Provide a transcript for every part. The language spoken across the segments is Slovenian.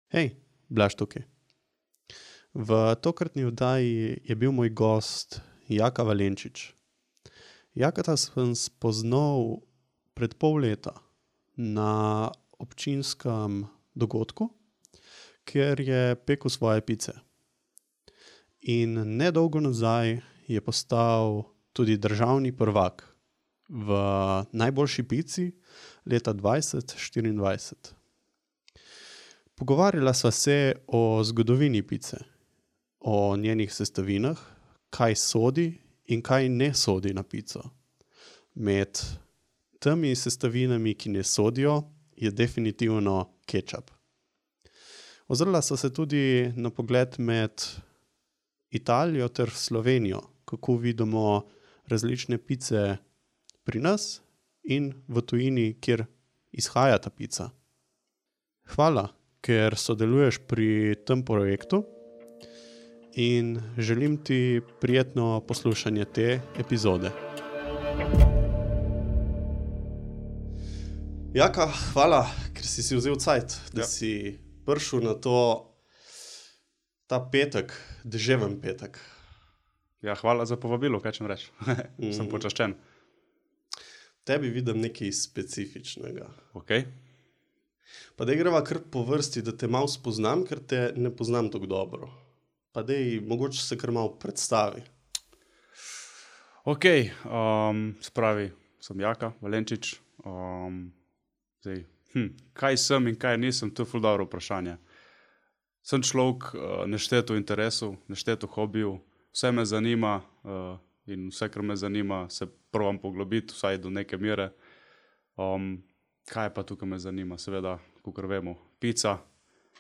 Hej, Blaž tukaj. V tokratni oddaji je bil moj gost Jaka Valenčič. Jakata sem spoznal pred pol leta na občinskem dogodku, kjer je pekel svoje pice. In nedolgo nazaj je postal tudi državni prvak v najboljši pici leta 2024. Pogovarjala sva se o zgodovini pice, o njenih sestavinah, kaj sodi in kaj ne sodi na pico. Med temi sestavinami, ki ne sodijo, je definitivno kečap. Ozrla sva se tudi na pogled med Italijo ter Slovenijo, kako vidimo različne pice pri nas in v tujini, kjer izhaja ta pica. Hvala, ker sodeluješ pri tem projektu in želim ti prijetno poslušanje te epizode. Jaka, hvala, ker si vzel cajt, da si prišel na ta petek, deževen petek. Ja, hvala za povabilo, kaj čem reči. Sem počaščen. Tebi vidim nekaj specifičnega. Ok. Pa daj greva kar po vrsti, da te malo spoznam, ker te ne poznam tako dobro. Pa daj, mogoče se kar malo predstavi. Ok, spravi, sem Jaka Valenčič. Kaj sem in kaj nisem, to je ful dobro vprašanje. Sem človek nešteto interesov, nešteto hobijev, vse me zanima in vse, kar me zanima, se probam poglobiti, vsaj do neke mere. Kaj pa tukaj me zanima? Seveda, kakor vemo, pica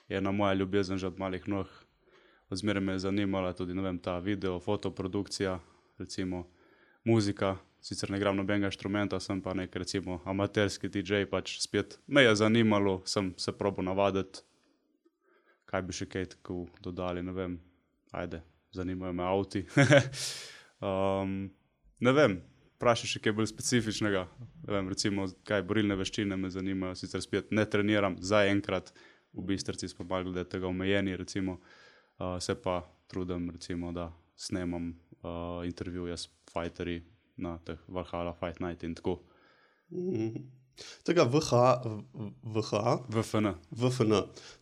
je ena moja ljubezen že od malih nog. Odzmeraj me je zanimala tudi, ta video, fotoprodukcija, recimo muzika. Sicer ne igram nobenega inštrumenta, sem pa nek recimo amaterski DJ, pač spet me je zanimalo, sem se probal navaditi. Kaj bi še kaj tako dodali, ne vem. Ajde, zanimajo me avti. Ne vem. Vprašaj še kaj bolj specifičnega, recimo, kaj borilne veščine me zanimajo, sicer spet ne treniram, zaenkrat, v Bistrici smo malo glede tega omejeni, recimo, se pa trudim, recimo, da snemam intervjuje s fighterji na teh Valhalla Fight Night in tako. Tega VFN,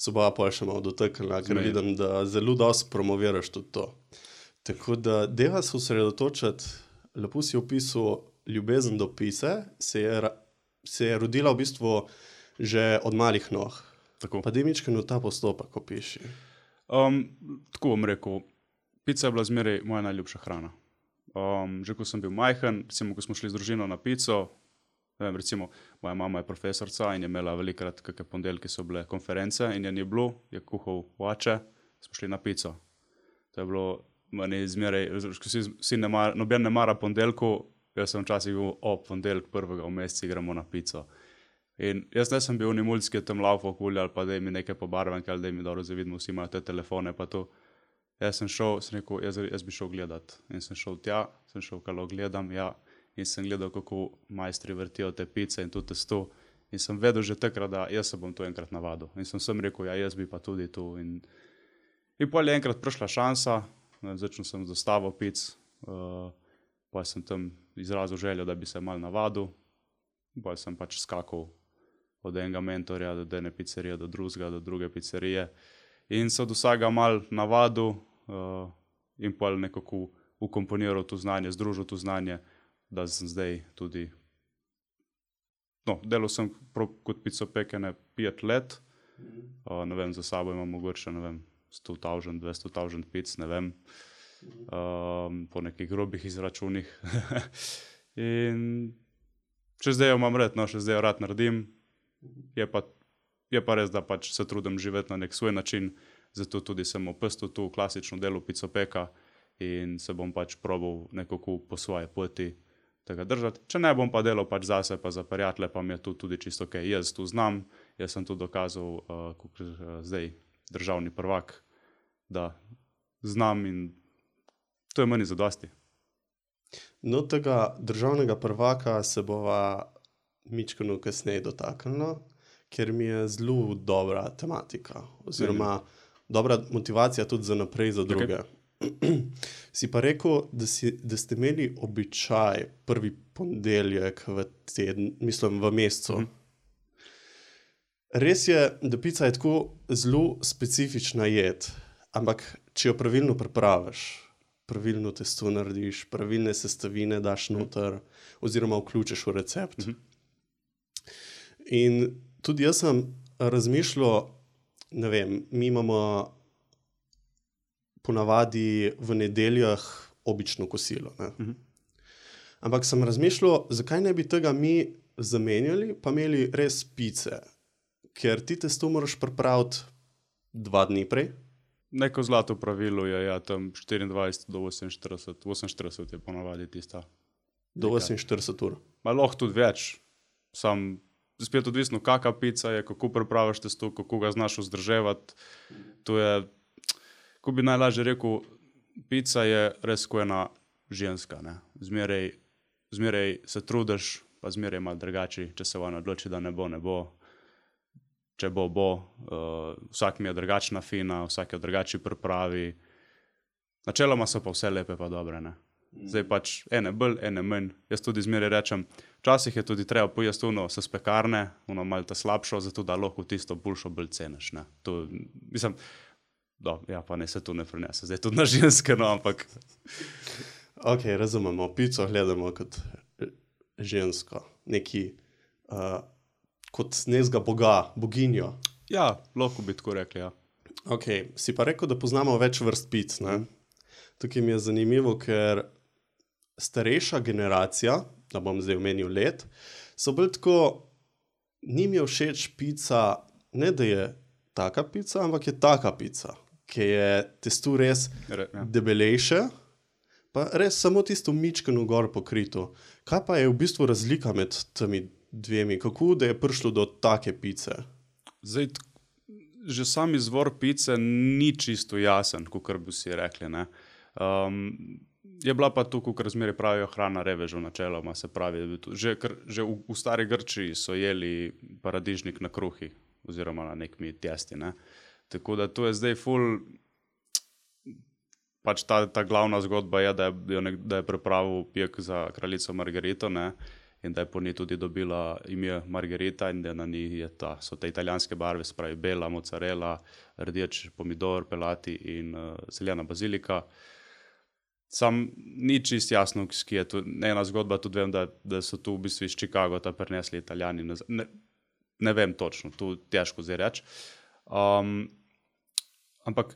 se bova pa še malo dotaknila, ker vidim, da zelo dosti promoviraš tudi to. Tako da, deva se osredotočiti. Lepo si opisal ljubezen do pice, se je rodila v bistvu že od malih nog. Tako. Pa daj mičkeno ta postopek opiši. Tako bom rekel, pica je bila zmeraj moja najljubša hrana. Že ko sem bil majhen, recimo, ko smo šli z družino na pico, recimo, moja mama je profesorca in je imela velikrat kakšne ponedeljke so bile konference in je ni bilo, je kuhal oče, smo šli na pico. To je bilo meni zmeraj, noben ne mara ponedeljkov, jaz sem včasih bil ponedeljek prvega v meseci gremo na pico. In jaz ne sem bil mulc, ki je tam laufal okoli ali pa daj mi nekaj pobarvanke ali daj mi dobro zavidimo, vsi imajo te telefone pa to. Jaz sem šel, sem rekel, jaz bi šel gledat. In sem šel tja, sem šel kalo gledam, ja, in sem gledal, kako majstri vrtijo te pice in to testo. In sem vedel že takrat, da jaz se bom to enkrat navadil. In sem rekel, ja, jaz bi pa tudi to. In potem je enkrat prišla šansa, začel sem z dostavo pic, pa sem tam izrazil željo, da bi se malo navadil, pa sem pač skakal od enega mentorja do ene pizzerije, do drugega, do druge pizzerije in se od vsega malo navadil in pa nekako ukomponiral to znanje, združil to znanje, da sem zdaj tudi, delal sem kot picopekene 5 let, ne vem, za sabo imam mogoče, 100,000, 200,000 pic, ne vem, po nekih grobih izračunih. In še zdaj jo imam rad, še zdaj jo rad naredim, je pa res, da pač se trudim živeti na nek svoj način, zato tudi sem opustil tu klasično delo picopeka in se bom pač probal nekako po svoje poti tega držati. Če ne bom pa delal pač zase pa za prijatelje, pa mi je tu tudi čisto ok. Jaz tu znam, jaz sem tu dokazal, zdaj državni prvak, da znam in to je meni zadosti. No, tega državnega prvaka se bova mičkeno kasneje dotaknila, ker mi je zelo dobra tematika, oziroma dobra motivacija tudi za naprej, za druge. Si pa rekel, da ste imeli običaj prvi ponedeljek v teden, mislim v mesecu. Res je, da pica je tako zelo specifična jed, ampak če jo pravilno pripraviš, pravilno testo narediš, pravilne sestavine daš noter, oziroma vključiš v recept. In tudi jaz sem razmišljal, ne vem, mi imamo ponavadi v nedeljah obično kosilo. Ne? Ampak sem razmišljal, zakaj ne bi tega mi zamenjali, pa imeli res pice. Ker ti testo moraš pripraviti 2 dni prej. Neko zlato pravilo je, ja, tam 24 do 48, 48 je ponavadi tista. Do 48 ur. Ma lahko tudi več, sam spet odvisno, kakva pica je, kako pripraviš testo, kako ga znaš vzdrževati. To je, ko bi najlažje rekel, pica je res ko ena ženska, ne. Zmeraj se trudiš, pa zmeraj malo drugače, če se ona odloči, da ne bo, ne bo. Če bo, bo. Vsak mi je drugačna fina, vsak je drugače pripravi. Načeloma so pa vse lepe pa dobre, ne. Zdaj pač ene bolj, ene manj. Jaz tudi zmeraj rečem, včasih je tudi treba pojesti ono s pekarne, ono malo ta slabšo, zato da lahko tisto boljšo bolj ceniš, ne. To, mislim, ja, pa ne se tu ne prenese, zdaj tudi na ženske, no, ampak... Ok, razumemo, pico gledamo kot žensko, neki... kot nekega boga, boginjo. Ja, lahko bi tako rekli, ja. Ok, si pa rekel, da poznamo več vrst pic, ne? Tukaj mi je zanimivo, ker starejša generacija, da bom zdaj omenil let, so bolj tako, njim je všeč pica, ne da je taka pica, ampak je taka pica, ki je testo res debelejše, pa res samo tisto mičkeno gor pokrito. Kaj pa je v bistvu razlika med temi dvemi? Kako da je prišlo do take pice? Zdaj, že sam izvor pice ni čisto jasen, kakor bi si rekli, ne. Je bila pa tu, kakor zmeraj pravijo, hrana revežev načeloma, se pravi, že v stari Grčiji so jeli paradižnik na kruhi, oziroma na nekmi testi, ne. Tako da to je zdaj ful, pač ta glavna zgodba je, da je pripravil pek za kraljico Margarito, ne, in da je po njej tudi dobila ime Margarita in da na njej so te italijanske barve, se pravi bela, mozzarella, rdeč pomidor, pelati in zeljena bazilika. Sam ni čist jasno, ki je to, ena zgodba, tudi vem, da so tu v bistvu iz Chicagota prinesli Italijani, ne vem točno, tu težko zdaj reči. Ampak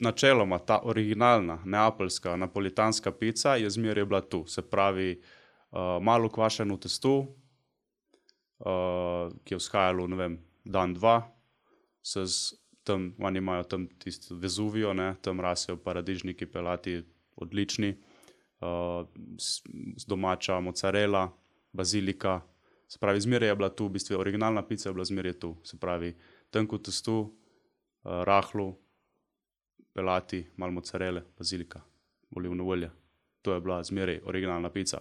načeloma ta originalna, neapeljska, napolitanska pica je zmeraj bila tu, se pravi, malo kvašeno testo, ki je vzhajalo, ne vem, dan, dva, tam, oni imajo tam tisto Vezuvijo, ne, tam rasejo paradižniki, pelati, odlični, domača mozzarella, bazilika, se pravi, zmeraj je bila tu, v bistvu originalna pica je bila zmeraj tu, se pravi, tanko testo, rahlo, pelati, malo mozzarelle, bazilika, olivno olje, to je bila zmeraj originalna pica.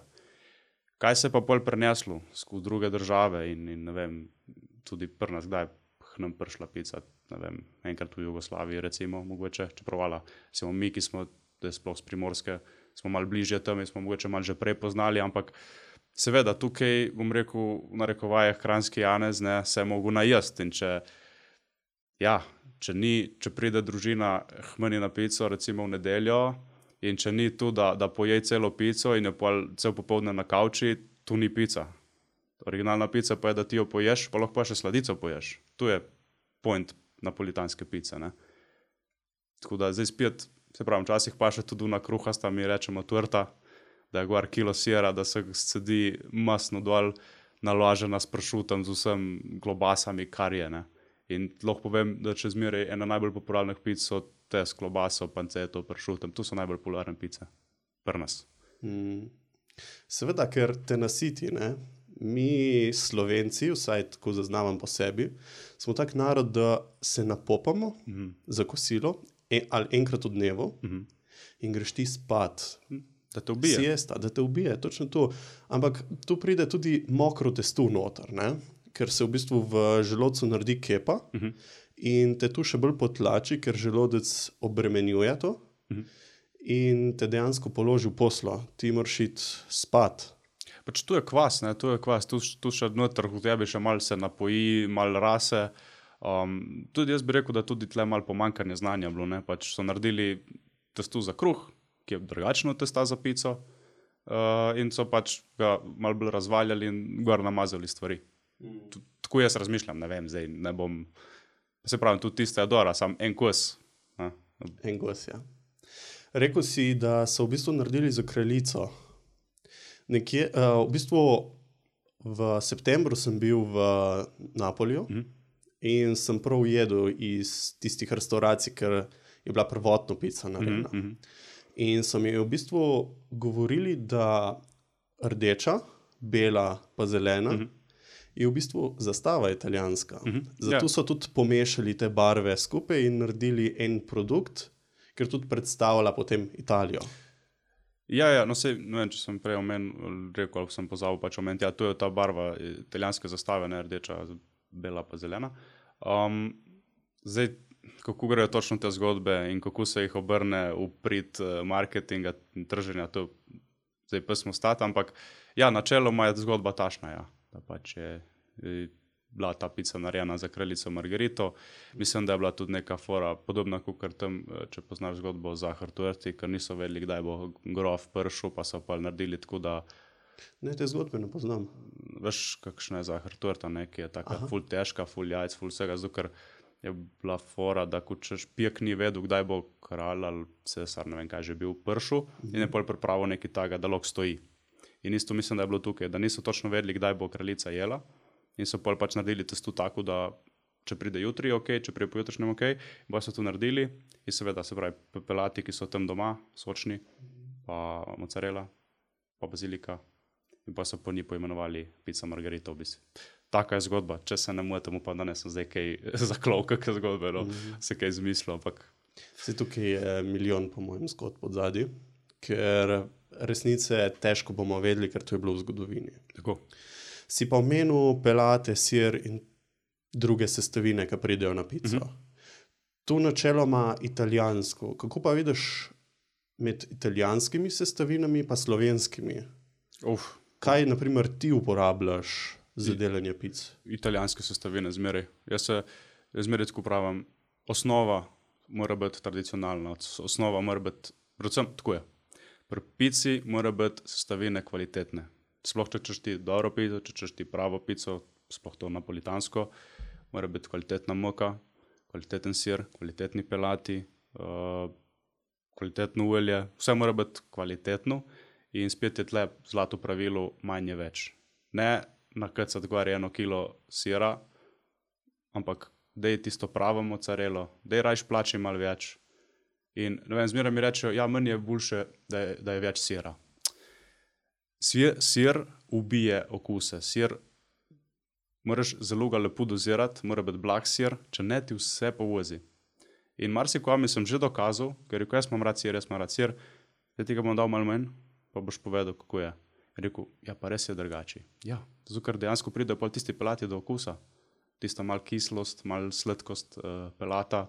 Kaj se pa pol preneslo v druge države in ne vem, tudi pri nas, kdaj k nam prišla pica, ne vem, enkrat v Jugoslaviji recimo, mogoče, čeprav smo mi, ki smo, da je sploh z Primorske, smo malo bližje tam in smo mogoče malo že prej poznali, ampak seveda tukaj, bom rekel, v narekovajih Kranjski Janez, ne, se je mogel najesti in če pride družina k meni na pico recimo v nedeljo, in če ni tu, da pojej celo pico in je cel popoldne na kavči, tu ni pica. Originalna pica pa je, da ti jo poješ, pa lahko pa še sladico poješ. Tu je point napolitanske pice, ne. Tako da zdaj spet, se pravim, včasih pa še tudi na kruhasta, mi rečemo torta, da je gor kilo sira, da se sedi masno dol, naložena s pršutom, z vsem klobasami, kar je, ne. In lahko povem, da če zmeraj ena najbolj popularnih pic so te s klobaso, panceto, pršutom, tu so najbolj popularne pice. Pri nas. Seveda, ker te nasiti, ne. Mi Slovenci, vsaj tako zaznavam po sebi, smo tak narod, da se napopamo za kosilo, ali enkrat v dnevu, in greš ti spat. Da te ubije. Siesta, da te ubije, točno to. Ampak tu pride tudi mokro testo noter, ne. ker se v bistvu v želodcu naredi kepa in te tu še bolj potlači, ker želodec obremenjuje to in te dejansko položi v poslo. Ti moraš iti spat. Pač tu je kvas, ne, tu še noter v tebi še malo se napoji, malo rase. Tudi jaz bi rekel, da tudi tle malo pomankanje znanja bilo, ne, pač so naredili testo za kruh, ki je drugačno testa za pico, in so pač ga malo bolj razvaljali in gor namazali stvari. Tako jaz razmišljam, ne vem, zdaj ne bom, se pravim, tudi tiste adora, sam en kos. En kos, ja. Rekel si, da so v bistvu naredili za kraljico. Nekje, v bistvu v septembru sem bil v Napolju in sem prav jedel iz tistih restauracij, ker je bila prvotno pica narejena. In so mi v bistvu govorili, da rdeča, bela pa zelena je v bistvu zastava italijanska. Zato so tudi pomešali te barve skupaj in naredili en produkt, ker tudi predstavlja potem Italijo. Ja, no sej, ne vem, če sem prej rekel, ali sem pozabil pač omeniti, ja, to je ta barva italijanske zastave, ne rdeča, bela pa zelena. Zdaj, kako grejo točno te zgodbe in kako se jih obrne v prid marketinga in trženja, to zdaj pa smo stati, ampak ja, načeloma je zgodba tašna, ja, da pač je bila ta pica narejena za kraljico Margarito. Mislim, da je bila tudi neka fora podobna, kot tam, če poznaš zgodbo o Zahar-Tuerti, ker niso vedeli, kdaj bo grof pršel, pa so pa naredili tako, da... Ne, te zgodbe ne poznam. Veš, kakšna je Zahar-Tuerta, ne, ki je taka ful težka, ful jajc, ful vsega, zato ker je bila fora, da ko češ pijek ni vedel, kdaj bo kralj ali cesar, ne vem kaj že bil, pršel in je pol pripravil nekaj taga, da lahko stoji. In isto mislim, da je bilo tukaj, da niso točno vedeli, kdaj bo kraljica jela in so pol pač naredili testo tako, da če pride jutri, ok, če pride pojutrišnjem, ok, bo so to naredili in seveda, se pravi, pelati, ki so tam doma, sočni, pa mozzarella, pa bazilika in pa so po njih poimenovali pica Margarito v bistvu. Taka je zgodba, če se ne motim, pa danes sem zdaj kaj zaklal, kakšne zgodbe, no, se kaj izmislil, ampak... Vse tukaj je milijon, po mojem, zgodb od zadnji, ker resnice težko bomo vedeli, ker to je bilo v zgodovini. Tako. Si pa omenil pelate, sir in druge sestavine, ki pridejo na pico. Tu načeloma italijansko. Kako pa vidiš med italijanskimi sestavinami pa slovenskimi? Kaj, na primer, ti uporabljaš za delanje pic? Italijanske sestavine zmeraj. Jaz zmeraj tako pravim, osnova mora biti tradicionalna, osnova mora biti, predvsem tako je. Pri pici mora biti sestavine kvalitetne. Sploh če češ ti dobro pico, če češ ti pravo pico, sploh to napolitansko, mora biti kvalitetna moka, kvaliteten sir, kvalitetni pelati, kvalitetno olje, vse mora biti kvalitetno in spet je tle zlato pravilo manj je več. Ne nakacati gor 1 kilo sira, ampak dej tisto pravo mozzarello, dej rajš plači malo več. In ne vem, zmeraj mi rečejo, ja, meni je boljše, da je več sira. Sir ubije okuse. Sir moraš zelo ga lepo dozirati, mora biti blag sir, če ne ti vse povozi. In marsikomu sem že dokazal, ker rekel, jaz imam rad sir, da ti ga bom dal malo manj, pa boš povedal, kako je. Rekel, ja, pa res je drugače. Ja, zato ker dejansko pride pol tisti pelati do okusa. Tista malo kislost, malo sladkost pelata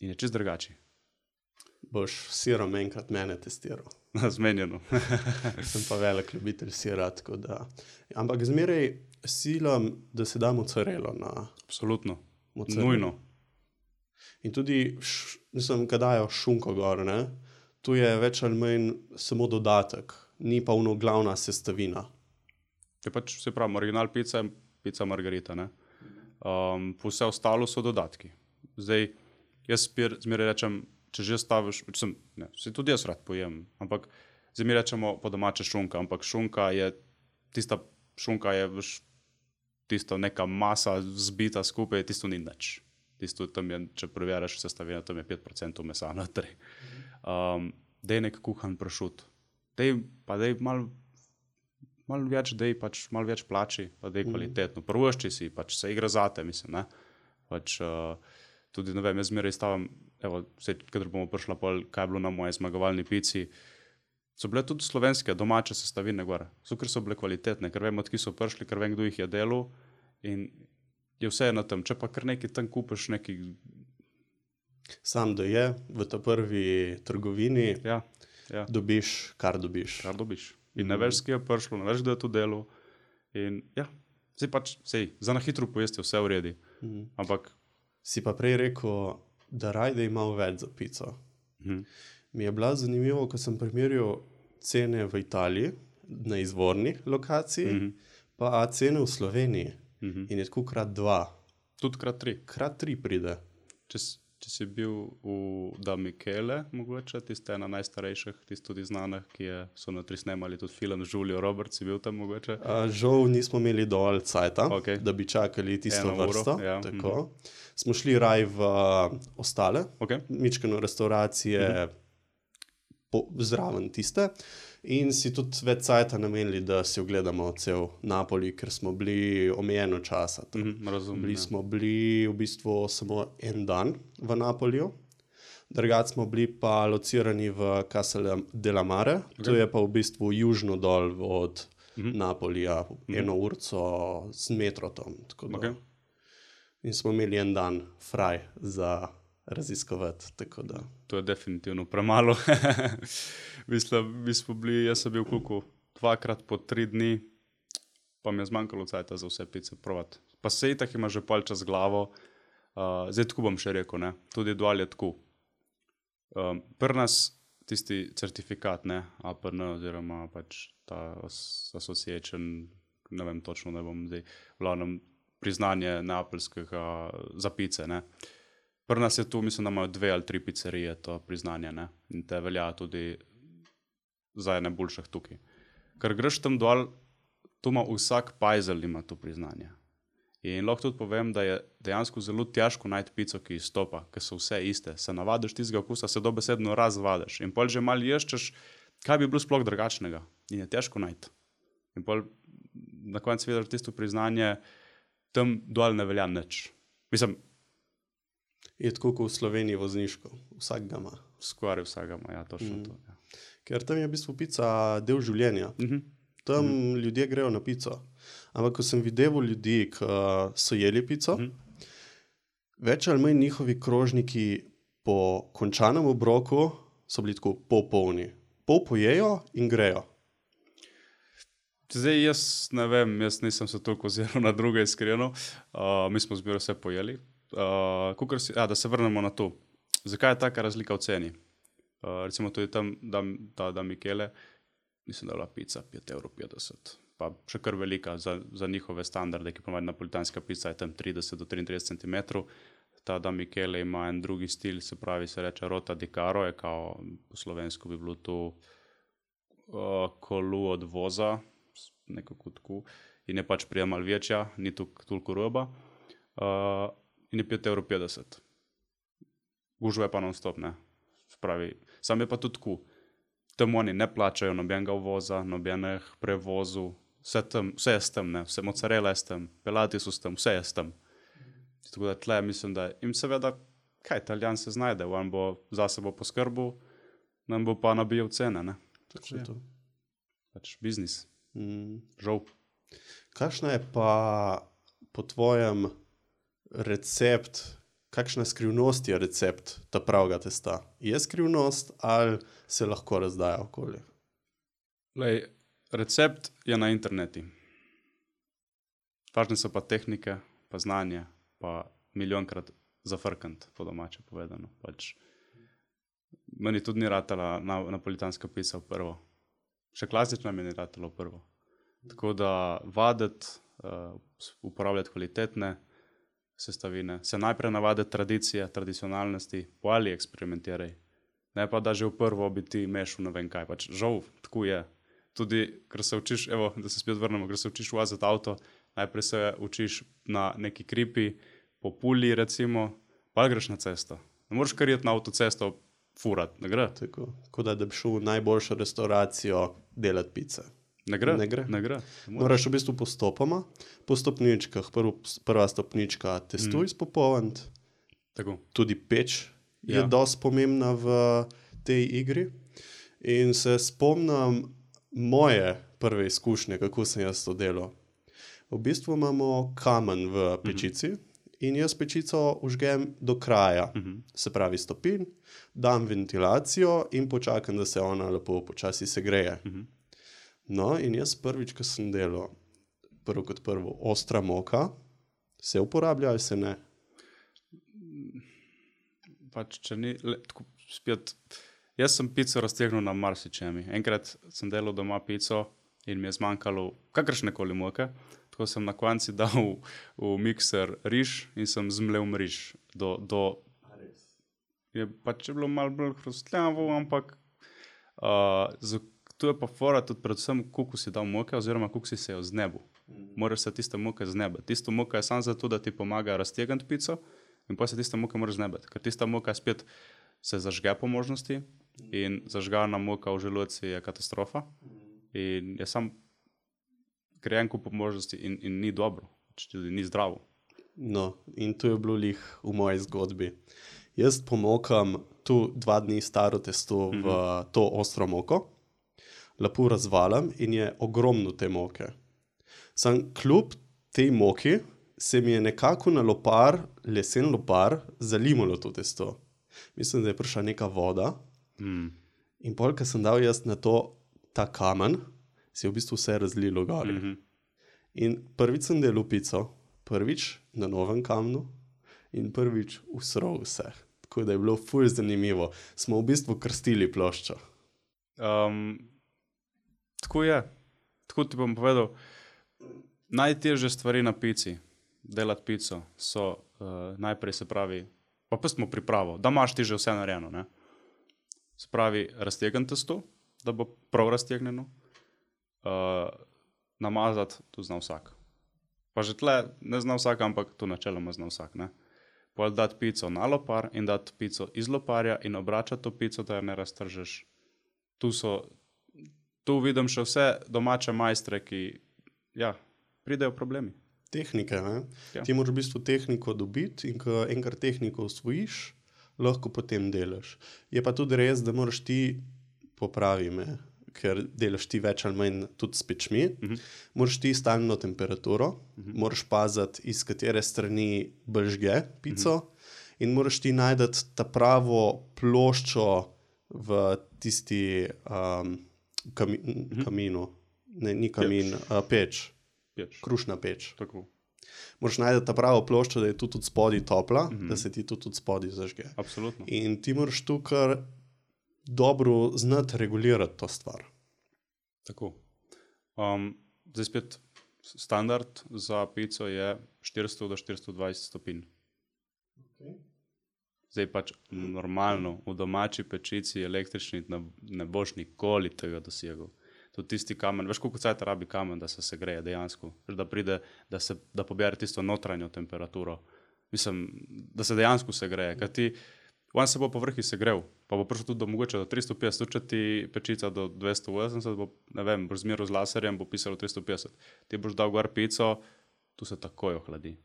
in je čist drugače. Boš sirom enkrat mene testiral. Zmenjeno. Sem pa velik ljubitelj sira, tako da... Ampak zmeraj silam, da se da mozzarello na... Absolutno. Mozzarello. Nujno. In tudi, mislim, kad dajo šunko gor, ne? Tu je več ali manj samo dodatek, ni pa ono glavna sestavina. Je pač, se pravi, original pica je pica Margarita, ne? Vse ostalo so dodatki. Zdaj, jaz zmeraj rečem, če že staviš, se tudi jaz rad pojem, ampak zdaj mi rečemo po domače šunka, ampak šunka je tisto neka masa zbita skupaj, tisto ni nič. Tisto tam je, če preverjaš sestavine, tam je 5% mesa notri. Dej nek kuhan pršut. Dej malo več, pač malo več plači, pa dej kvalitetno. Prvošči si, pač se igra zate, mislim, ne. Pač tudi, ne vem, jaz zmeraj stavim, evo, kadar bomo prišla pol, kaj je bilo na moje zmagovalni pici, so bile tudi slovenske domače sestavine gor. So, ker so bile kvalitetne, ker vem, od ki so prišli, ker vem, kdo jih je delal in je vse na tem. Če pa kar nekaj tam kupiš, nekaj... Sam da je v ta prvi trgovini, Ja. dobiš, kar dobiš. Kar dobiš. In ne veš, kje je prišlo, ne veš, kdo je to delo. In ja, za na hitro pojesti vse v redi. Ampak... Si pa prej rekel, da rajde imel več za pico. Mi je bilo zanimivo, ko sem primerjal cene v Italiji, na izvorni lokaciji, pa cene v Sloveniji. In je tako krat 2. Tudi krat 3. Krat 3 pride. Če si bil v Da Michele, mogoče, tiste ena najstarejših, tiste tudi znanih, so na 3 snemali tudi film z Julio Roberts, si bil tam mogoče? Žal nismo imeli dovolj cajta, Okay. da bi čakali tisto 1 uro, vrsto. ja. Tako. Smo šli raj v ostale, mičkeno restauracije zraven tiste in si tudi več cajta namenili, da si ogledamo cel Napoli, ker smo bili omejeno časa. Razumem, Smo bili v bistvu samo en dan v Napoliju, drugače smo bili pa locirani v Casale della Mare, to je pa v bistvu južno dol od Napolija, 1 urco z metrotom. In smo imeli en dan fraj za raziskovati, tako da. To je definitivno premalo. Mi smo bili, jaz sem bil koliko, 2krat po 3 dni, pa mi je zmanjkalo cajta za vse pice provati. Pa se itak ima že pol čas glavo, zdaj tako bom še rekel, ne, tudi dol je tako. Pri nas tisti certifikat, ne, APN oziroma pač ta association, ne vem točno, ne bom zdaj, glavnem priznanje neapeljskega za pice, ne. Pri nas je tu, mislim, da imajo 2 ali 3 pizzerije to priznanje, ne, in te velja tudi za ene boljših tukaj. Ker greš tam dol, tu ima vsak pajzel ima to priznanje. In lahko tudi povem, da je dejansko zelo težko najti pico, ki izstopa, ker so vse iste. Se navadiš tistega okusa, se dobesedno razvadiš. In pol že malo ješčeš, kaj bi bilo sploh drugačnega. In je težko najti. In pol na koncu vidiš tisto priznanje, tam dol ne velja nič. Mislim, je tako kot v Sloveniji vozniško. Vsak ga ima. Skoraj vsak ga ima, ja, točno to. Ja. Ker tam je v bistvu pica del življenja. Tam ljudje grejo na pico. Ampak ko sem videl ljudi, ki so jeli pico, več ali manj njihovi krožniki po končanem obroku so bili tako polni. Pol pojejo in grejo. Zdaj jaz ne vem, jaz nisem se toliko oziral na druge iskreno. Mi smo zbiro vse pojeli. Da se vrnemo na to. Zakaj je taka razlika v ceni? Recimo tudi tam Da Michele, mislim, da je bila pica 5,50 €. Pa še kar velika za njihove standarde, ki ponovadi napolitanska pica je tam 30 do 33 cm. Ta Da Michele ima en drugi stil, se pravi, se reče rota di caro, je kao po slovensko bi bilo to kolu od voza, nekako tako, in je pač prija malo večja, ni toliko roba, in je 5,50 €. Gužva je pa non-stop, ne. Spravi, sam je pa tudi tako. Tam oni ne plačajo nobenega uvoza, nobenih prevozov, vse je s tem, ne, vse mozzarella je s tem, pelati so s tem, vse je s tem. Tako da tle mislim, da jim seveda, kaj Italijan se znajde, on bo za sebo poskrbel, nam bo pa nabijal cene, ne. Tako je to. Pač biznis. Žal. Kakšna je pa po tvojem recept, kakšna skrivnost je recept ta pravega testa? Je skrivnost ali se lahko razdaja okoli? Lej, recept je na interneti. Važne so pa tehnike, pa znanje, pa milijonkrat zafrkant, po domače povedano. Pač, meni tudi ni ratala napolitanska pica v prvo. Še klasična mi ni ratala v prvo. Tako da vaditi, uporabljati kvalitetne sestavine, se najprej navaditi tradicije, tradicionalnosti, po ali eksperimentiraj. Ne pa, da že v prvo bi ti mešal ne vem kaj. Pač žal, tako je. Tudi, ker se učiš, evo, da se spet vrnemo, ker se učiš voziti avto, najprej se učiš na neki kripi, po puli recimo, pa greš na cesto. Ne moreš kar iti na avtocesto furat, ne gre. Tako, kot da bi šel v najboljšo restauracijo delati pice. Ne gre. Ne gre. Ne gre. Moraš v bistvu postopoma, po stopničkah, prva stopnička testo izpopolniti, tudi peč je dosti pomembna v tej igri. In se spomnim moje prve izkušnje, kako sem jaz to delal. V bistvu imamo kamen v pečici in jaz pečico užgem do kraja, se pravi stopinj, dam ventilacijo in počakam, da se ona lepo počasi segreje. No, in jaz prvič, ko sem delal, prvo kot prvo, ostra moka, se uporablja ali se ne? Pač, če ni, tako spet, jaz sem pico raztegnil na marsičemi. Enkrat sem delal doma pico in mi je zmanjkalo kakršnekoli moke, tako sem na konci dal v mikser riž in sem zmlel riž je pač bilo malo bolj hrustljavo, ampak tu je pa fora tudi predvsem, koliko si dal moke oziroma koliko si se jo znebil. Moraš se tiste moke znebiti. Tista moka je samo zato, da ti pomaga raztegniti pico in pa se tiste moke moraš znebiti, ker tista moka spet se zažge po možnosti in zažgana moka v želodci je katastrofa in je sam krejenko po možnosti in ni dobro, tudi ni zdravo. No, in to je bilo lih v moji zgodbi. Jaz pomokam tu 2 dni staro testo v to ostro moko, lepo razvaljam in je ogromno te moke. Sam kljub tej moki se mi je nekako na lopar, lesen lopar, zalimalo to testo. Mislim, da je prišla neka voda in pol, ko sem dal jaz na to ta kamen, se je v bistvu vse razlilo gori. In prvič sem delal pico, prvič na novem kamnu in prvič usral vse. Tako da je bilo ful zanimivo. Smo v bistvu krstili ploščo. Tako je. Tako ti bom povedal, najtežje stvari na pici, delati pico, so najprej se pravi, pa pustimo pripravo, da imaš ti že vse narejeno, ne? Se pravi, raztegniti testo, da bo prav raztegnjeno, namazati, to zna vsak. Pa že tle ne zna vsak, ampak to načeloma zna vsak, ne? Pol dati pico na lopar in dati pico iz loparja in obračati to pico, da jo ne raztržeš. Tu vidim še vse domače majstre, ki, ja, pridejo problemi. Tehnike, ne? Ja. Ti moraš v bistvu tehniko dobiti in ko enkrat tehniko osvojiš, lahko potem delaš. Je pa tudi res, da moraš ti, popravi me, ker delaš ti več ali manj tudi s pečmi, moraš ti stalno temperaturo, moraš paziti, iz katere strani bržge pico in moraš ti najti ta pravo ploščo v tisti kaminu. Ne, ni kamin, peč. Krušna peč. Tako. Moraš najti ta pravo ploščo, da je tudi spodaj topla, da se ti tudi spodaj zažge. Absolutno. In ti moraš tu kar dobro znati regulirati to stvar. Tako. Zdaj spet standard za pico je 400 do 420 stopinj. Zdaj pač normalno, v domači pečici električni ne boš nikoli tega dosegel. Tudi tisti kamen, veš koliko cajta rabi kamen, da se segreje dejansko, da pride, da pobere tisto notranjo temperaturo. Mislim, da se dejansko segreje, ker ti, on se bo po vrhi segrel, pa bo prišel tudi do mogoče do 350, tudi če ti pečica do 280, bo, ne vem, boš zmeral z laserjem, bo pisalo 350. Ti boš dal gor pico, tu se takoj ohladi.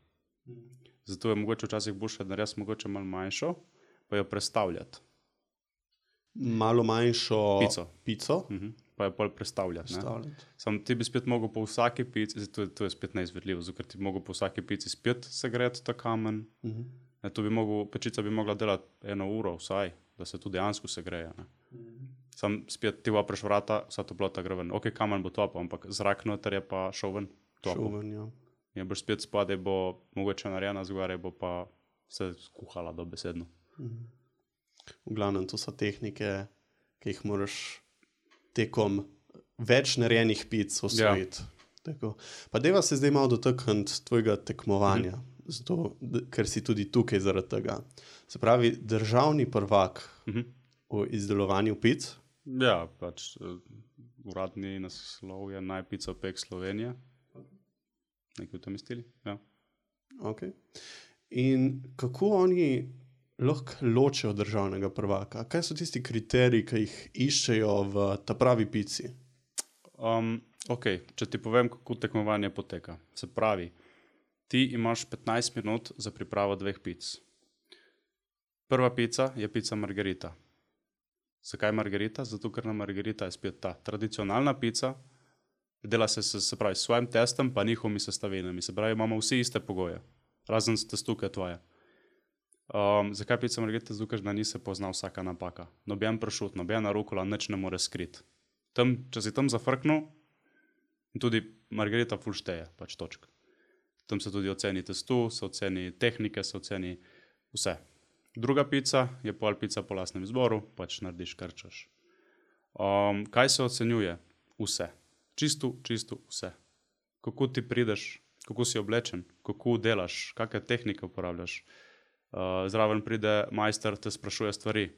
Zato je mogoče včasih boljše narediti mogoče malo manjšo, pa jo prestavljati. Malo manjšo pico. Pa jo pol prestavljati. Sam ti bi spet mogel po vsaki pici, to je spet neizvedljivo, ker ti bi mogel po vsaki pici spet segreti ta kamen. Pečica bi mogla delati 1 uro vsaj, da se tu dejansko segreje. Sam spet ti vapreš vrata, vsa toplota gre ven. Ok, kamen bo topel, ampak zrak noter je pa šel ven. Šel ven, ja. In boš spet spodaj bo mogoče narejena, zgoraj bo pa se skuhala dobesedno. V glavnem, to so tehnike, ki jih moraš tekom več narejenih pic osvojiti. Ja. Pa deva se zdaj malo dotakniti tvojega tekmovanja, zato, ker si tudi tukaj zaradi tega. Se pravi, državni prvak v izdelovanju pic? Ja, pač uradni naslov je Najpicopek Slovenije. Nekaj v tem stili, ja. Ok. In kako oni lahko ločijo državnega prvaka? Kaj so tisti kriteriji, ki jih iščejo v ta pravi pici? Ok, če ti povem, kako tekmovanje poteka. Se pravi, ti imaš 15 minut za pripravo 2 pic. Prva pica je pica margarita. Zakaj margarita? Zato, ker na margarita je spet ta tradicionalna pica, Dela se pravi, s svojim testom, pa njihovimi sestavinami. Se pravi, imamo vsi iste pogoje, razen testu, ki je tvoje. Zakaj pica margarita? Zato, ker da ni se pozna vsaka napaka. Noben pršut, nobena rukola, nič ne more skriti. Če si tam zafrknil, tudi margarita ful šteje, pač točk. Tam se tudi oceni testu, se oceni tehnike, se oceni vse. Druga pica je pol pica po lastnem izboru, pač narediš kar češ. Kaj se ocenjuje? Vse. Čisto vse. Kako ti prideš, kako si oblečen, kako delaš, kakšne tehnike uporabljaš. Zraven pride majster, te sprašuje stvari.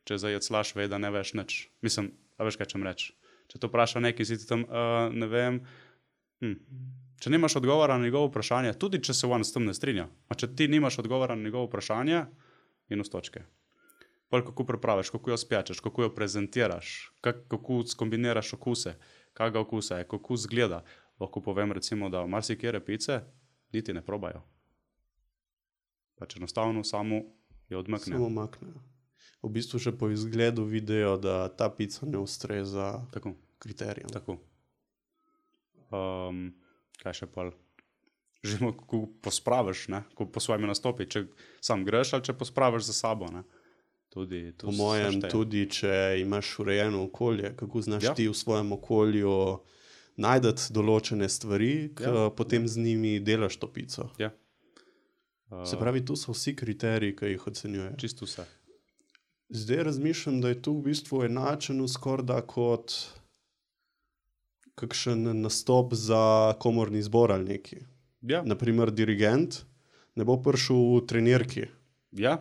Če zajeclaš, ve, da ne veš nič. Mislim, a veš, kaj čem reči. Če te vpraša nekaj, si ti tam, ne vem. Če nimaš odgovora na njegovo vprašanje, tudi če se on s tem ne strinja, a če ti nimaš odgovora na njegovo vprašanje, minus točke. Pol kako pripraviš, kako jo spjačeš, kako jo prezentiraš, kako skombiniraš okuse, kakega okusa je, kako zgleda. Lahko povem recimo, da marsikere pice niti ne probajo. Pač enostavno samo jo odmaknejo. Samo maknejo. V bistvu še po izgledu vidijo, da ta pica ne ustreza kriterijem. Tako. Kaj še pol? Živimo, kako pospraviš, ne? Kako po svojimi nastopi, če sam greš ali če pospraviš za sabo, ne? Tudi po mojem, tudi če imaš urejeno okolje, kako znaš ti v svojem okolju najdeti določene stvari, potem z njimi delaš to pico. Ja. Se pravi, tu so vsi kriteriji, ki jih ocenjujejo. Čisto vse. Zdaj razmišljam, da je tu v bistvu enačeno skorda kot kakšen nastop za komorni zbor ali neki. Ja. Naprimer, dirigent ne bo prišel v trenirki. Ja.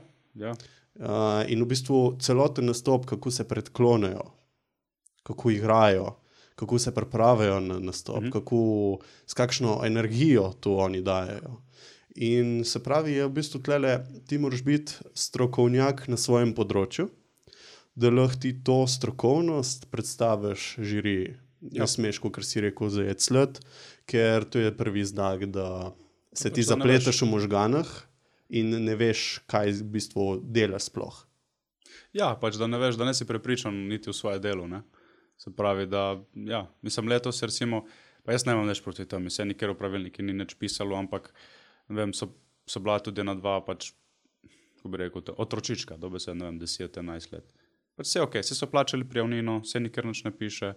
In v bistvu celoten nastop, kako se predklonejo, kako igrajo, kako se pripravijo na nastop, s kakšno energijo to oni dajejo. In se pravi, je v bistvu tlele, ti moraš biti strokovnjak na svojem področju, da lahko ti to strokovnost predstaviš žiriji. Ne smeš, kot si rekel, zajecljati, ker to je prvi znak, da se ti zapleteš v možganah in ne veš, kaj v bistvu delaš sploh. Ja, pač da ne veš, da ne si prepričan niti v svoje delo, ne. Se pravi, da, ja, mislim, letos recimo, pa jaz nemam nič proti temu, se nikjer v pravilniki ni nič pisalo, ampak, ne vem, so bila tudi ena dva, pač, ko bi rekel, otročička, dobe se, ne vem, 10-11 let. Pač vse okej, vsi so plačali prijavnino, se nikjer nič ne piše,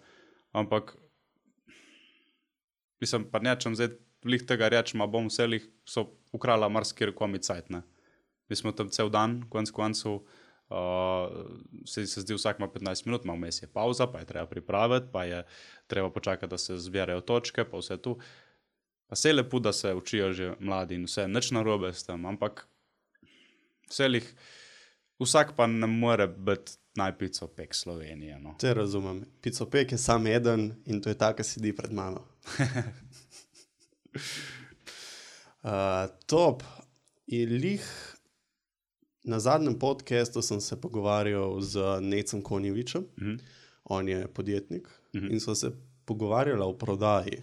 ampak, mislim, pa nečem zdaj lih tega reči, ma bom vse lih so ukrala marsikjer komi cajt, ne. Mi smo tam cel dan, konec koncev, se zdi vsak ima 15 minut, ima vmes je pauza, pa je treba pripraviti, pa je treba počakati, da se zbirajo točke, pa vse tu. Pa se je lepo, da se učijo že mladi in vse, nič narobe s tem, ampak vse lih, vsak pa ne more biti najpicopek Slovenije, no. Te razumem. Picopek je sam eden in to je ta, ki sedi pred mano. Top. In lih na zadnjem podcastu sem se pogovarjal z Necom Konjevičem. On je podjetnik in so se pogovarjali o prodaji.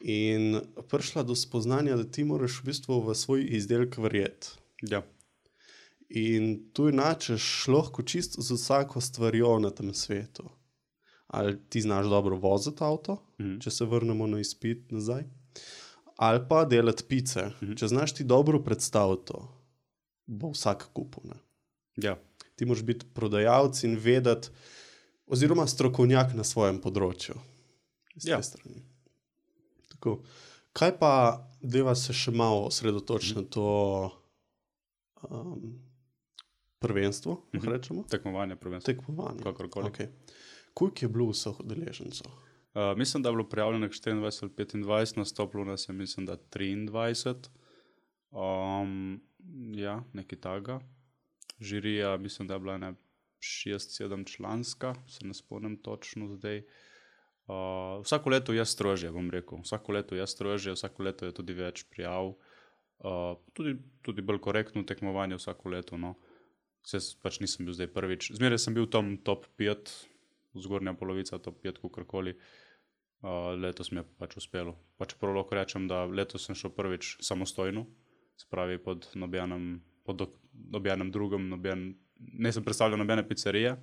In prišla do spoznanja, da ti moraš v bistvu v svoj izdelek verjeti. Ja. In tu inačeš lahko čisto z vsako stvarjo na tem svetu. Ali ti znaš dobro voziti avto, če se vrnemo na izpit nazaj, ali pa delati pice. Če znaš ti dobro predstaviti to, bo vsak kupil, ne. Ja. Ti moraš biti prodajalec in vedeti, oziroma strokovnjak na svojem področju. Ja. Tako. Kaj pa, deva se še malo osredotočiti na to prvenstvo, rečemo? Tekmovanje, prvenstvo. Tekmovanje. Kakorkoli. Okay. Koliko je bilo vseh udeležencev? Mislim, da je bilo prijavljenih 24 ali 25, nastopilo nas je, mislim, da 23. Ja, nekaj takega. Žirija, mislim, da je bila 6-7 članska, se ne spomnim točno zdaj. Vsako leto je strožje, bom rekel. Vsako leto je strožje, vsako leto je tudi več prijav. Tudi bolj korektno tekmovanje vsako leto, no. Pač nisem bil zdaj prvič. Zmeraj sem bil tam top 5, zgornja polovica top 5, kakorkoli. Letos mi je pač uspelo. Pač prav lahko rečem, da letos sem šel prvič samostojno, se pravi pod nobenem drugem, ne sem predstavljal nobene pizzerije.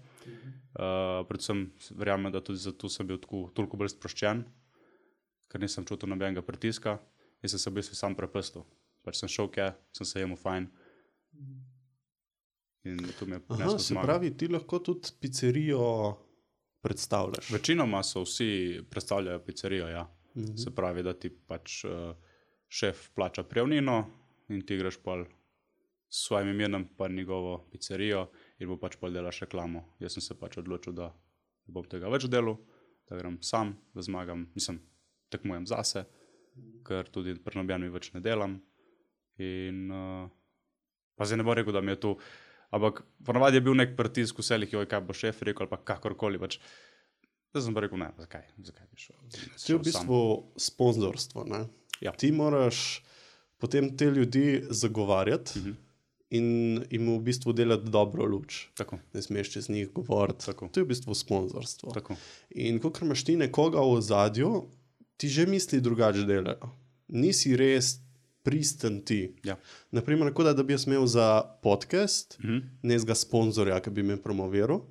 Predvsem verjamem, da tudi zato sem bil toliko bolj sproščen, ker nisem čutil nobenega pritiska in sem se v bistvu sam prepustil. Pač sem šel kje, sem se jemu fajn. In to mi je prineslo Se zmago. pravi, ti lahko tudi pizzerijo predstavljaš. Večinoma so vsi predstavljajo pizzerijo, ja. Se pravi, da ti pač šef plača prijavnino in ti greš pol s svojim imenom pa njegovo pizzerijo in bo pač pol delaš reklamo. Jaz sem se pač odločil, da ne bom tega več delal, da grem sam, da zmagam, tekmujem zase, ker tudi pri nobenem več ne delam. In pa zdaj ne bom rekel, da mi je to, ampak ponavadi je bil nek pritisk vselih, kaj bo šef rekel ali pa kakorkoli, pač. Zdaj sem pa rekel, ne, zakaj bi šel. To je v bistvu sponzorstvo, ne? Ja. Ti moraš potem te ljudi zagovarjati in jim v bistvu delati dobro luč. Tako. Ne smeš čez njih govoriti. Tako. To je v bistvu sponzorstvo. Tako. In kakor imaš ti nekoga v ozadju, ti že misli drugače delajo. Nisi res pristen ti. Ja. Naprimer, kot da bi jaz imel za podcast nekega sponzorja, ki bi me promoviral,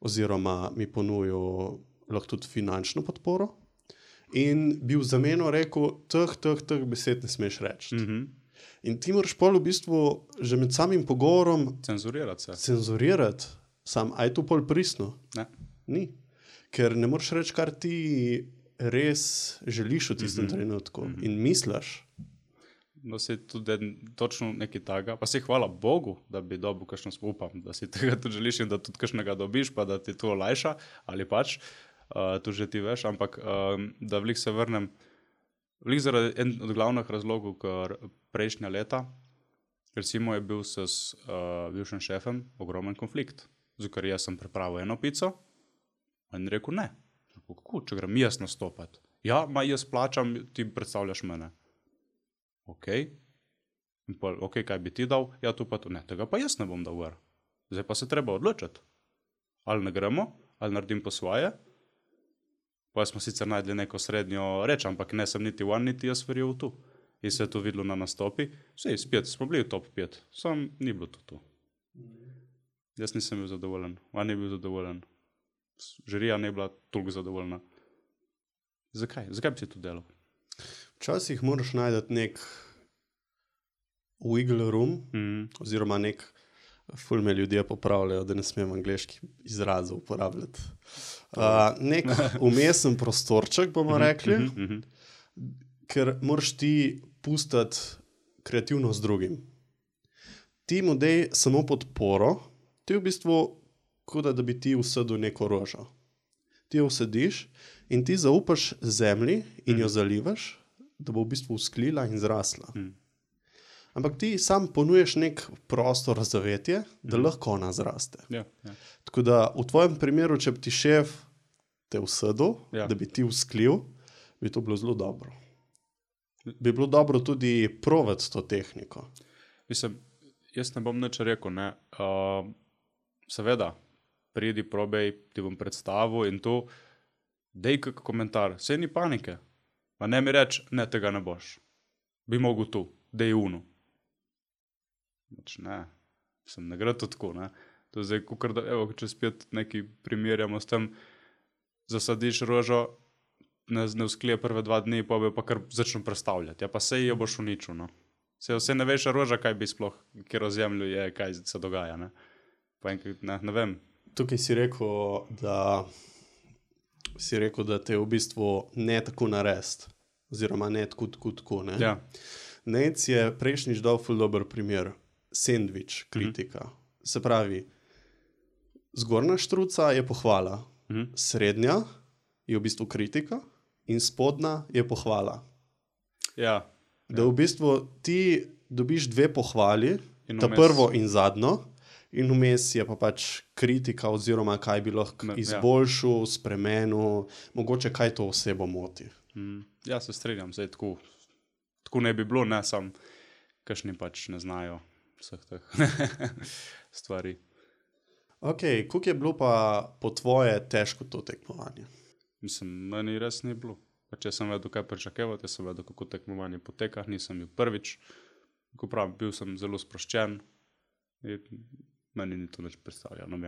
oziroma mi ponujal lahko tudi finančno podporo, in bi v zameno rekel, teh besed ne smeš reči. In ti moraš pol v bistvu že med samim pogovorom Cenzurirati se. cenzuriraati, a je to pol pristno? Ne. Ni. Ker ne moreš reči, kar ti res želiš v tistem trenutku in misliš. No, se tudi točno nekaj takega, pa se hvala Bogu, da bi dobil kakšno upam, da si tega tudi želiš in da tudi kakšnega dobiš, pa da ti to olajša, ali pač, to že ti veš, ampak da vlik se vrnem, vlik zaradi en od glavnih razlogov, ker prejšnja leta, recimo je bil s bivšim šefem ogromen konflikt, zato ker jaz sem pripravil eno pico, in rekel ne, kako, če grem jaz nastopati, ja, jaz plačam, ti predstavljaš mene. Ok, kaj bi ti dal? Ja, to pa to. Ne, tega pa jaz ne bom dal gor. Zdaj pa se treba odločiti. Ali ne gremo, ali naredim po svoje. Pa smo sicer najdli neko srednjo reč, ampak ne sem niti one, niti jaz verjel v to. In se je to videlo na nastopi. Vsej, spet smo bili v top 5, sam ni bilo to. Jaz nisem bil zadovoljen, on ni bil zadovoljen. Žirija ne bila toliko zadovoljna. Zakaj? Zakaj bi si to delal? Včasih moraš najti nek wiggle room, oziroma ful me ljudje popravljajo, da ne smem angleških izrazov uporabljati. Nek umesen prostorček, bomo rekli, ker moraš ti pustiti kreativnost drugim. Ti mu dej samo podporo, ti v bistvu kot da bi ti usedel neko rožo. Ti jo usediš in ti zaupaš zemlji in jo zalivaš, da bo v bistvu usklila in zrasla. Ampak ti sam ponuješ nek prostor za zavetje, da lahko ona zraste. Ja. Tako da v tvojem primeru, če bi ti šef te usedel, Ja. da bi ti usklil, bi to bilo zelo dobro. Bi bilo dobro tudi provati to tehniko. Mislim, jaz ne bom nič rekel, ne. Seveda, pridi, probej, ti bom predstavil in to, dej kak komentar, saj ni panike. Pa ne mi reč, ne, tega ne boš. Bi mogel tu, dej unu. Pač ne, ne gre to tako, ne. To je zdaj, kukor da, evo, če spet nekaj primerjamo s tem, zasadiš rožo, ne usklije prve 2 dni, pa bi pa kar začnu predstavljati. Ja, pa sej jo boš uničil, no. Sej ne veš roža, kaj bi sploh, kjer o zemlju je, kaj se dogaja, ne. Pa enkrat, ne vem. Tukaj si rekel, da te v bistvu ne tako narest, oziroma ne tako, ne? Ja. Nec je prejšnjič dal ful dober primer, sendvič, kritika. Se pravi, zgornja štruca je pohvala, srednja je v bistvu kritika in spodnja je pohvala. Ja. Da v bistvu ti dobiš 2 pohvali, In ta vmes- prvo in zadnjo, in vmes je pa pač kritika, oziroma kaj bi lahko izboljšal, spremenil, mogoče kaj to osebo moti. Ja, se strinjam, zdaj tako ne bi bilo, ne, sam kakšni pač ne znajo vseh teh stvari. Ok, koliko je bilo pa po tvoje težko to tekmovanje? Mislim, meni res ni bilo. Pač jaz sem vedel, kaj pričakevati, jaz sem vedel, kako tekmovanje poteka, nisem bil prvič. Ko pravim, bil sem zelo sproščen in meni ni to nič predstavljalo,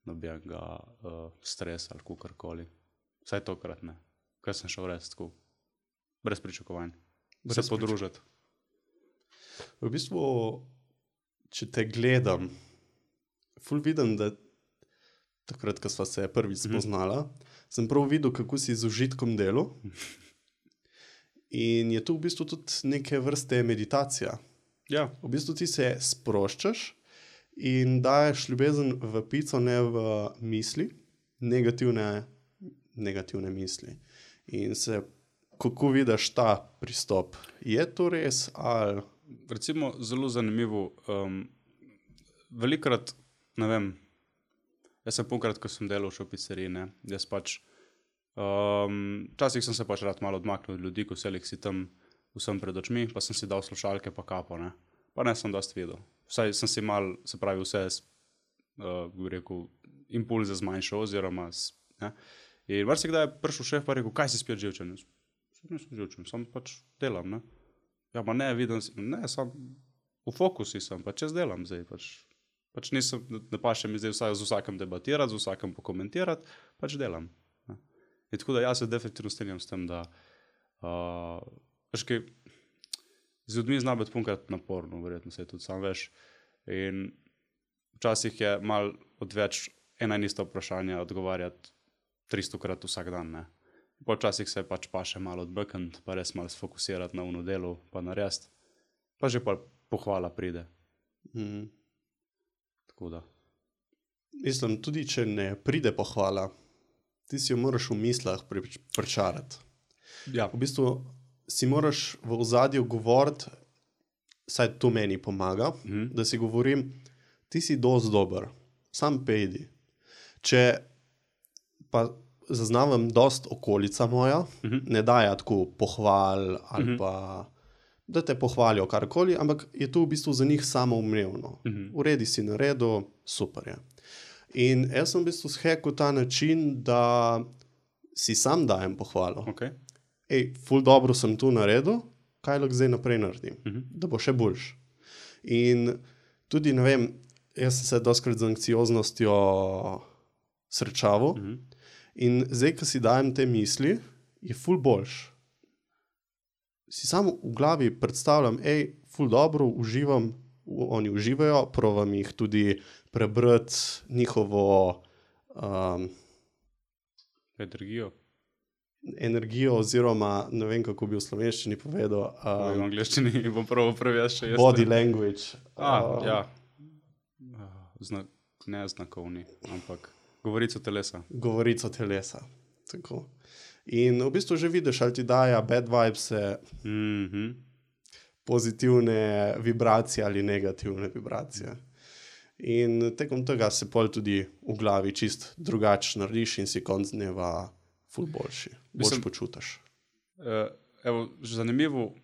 nobenega stresa ali kakorkoli. Vsaj tokrat ne. Kaj sem šel res tako, brez pričakovanj. Se podružiti. V bistvu, če te gledam, ful vidim, da takrat, ko sva se prvič spoznala, sem prav videl, kako si z užitkom delal. In je tu v bistvu tudi neke vrste meditacija. Ja. V bistvu ti se sproščaš in daješ ljubezen v pico, ne v misli, negativne misli. In se, kako vidiš ta pristop? Je to res ali... Recimo, zelo zanimivo. Velikrat, ne vem, jaz sem polkrat, ko sem delal še v pizzeriji, ne, jaz pač, včasih sem se pač rad malo odmaknil od ljudi, ko selih si tam vsem pred očmi, pa sem si dal slušalke pa kapo, ne. Pa ne sem dosti videl. Vsaj sem si mal, se pravi, vse, bi rekel, impulze zmanjšal oziroma, ne. In marsikdaj je prišel šef pa rekel, kaj si spet živčen? Nisem živčen, sam pač delam, ne. Ja, ma ne, vidim si, ne, sam v fokusi sem, pač jaz delam zdaj, pač nisem, ne paše mi zdaj z vsakem debatirati, z vsakem pokomentirati, pač delam. Ne. In tako da jaz se definitivno strinjam s tem, da veš kaj, z ljudmi zna biti punkrat naporno, verjetno se tudi sam veš. In včasih je mal odveč ena in ista vprašanja odgovarjati 300-krat vsak dan, ne. Počasih se pač paše malo odbekniti, pa res malo sfokusirati na ono delo, pa narediti. Pa že pa pohvala pride. Tako da. Mislim, tudi če ne pride pohvala, ti si jo moraš v mislah pričarati. Ja. V bistvu si moraš v ozadju govoriti, saj to meni pomaga, da si govorim, ti si dosti dober, sam pejdi. Če pa zaznavam dosti okolica moja, ne daja tako pohval ali pa, da te pohvalijo karkoli, ampak je to v bistvu za njih samoumevno. Uredi si naredil, super je. In jaz sem v bistvu shekal ta način, da si sam dajem pohvalo. Okay. Ej, ful dobro sem tu naredil, kaj lahko zdaj naprej naredim, da bo še boljš. In tudi, ne vem, jaz sem se dostikrat z anksioznostjo srečaval, in zdaj, ko si dajem te misli, je ful boljš. Si samo v glavi predstavljam, ej, ful dobro, uživam, oni uživajo, provam jih tudi prebrati njihovo energijo oziroma, ne vem, kako bi v slovenščini povedal. V angleščini bom prvo prevest še jaz. Body language. Ja. Ne znakovni, ampak govorico telesa. Govorico telesa, tako. In v bistvu že vidiš, ali ti daja bad vibes, pozitivne vibracije ali negativne vibracije. In tekom tega se pol tudi v glavi čist drugače narediš in si konc dneva ful boljši. Boljš počutiš. Evo, zanimivo,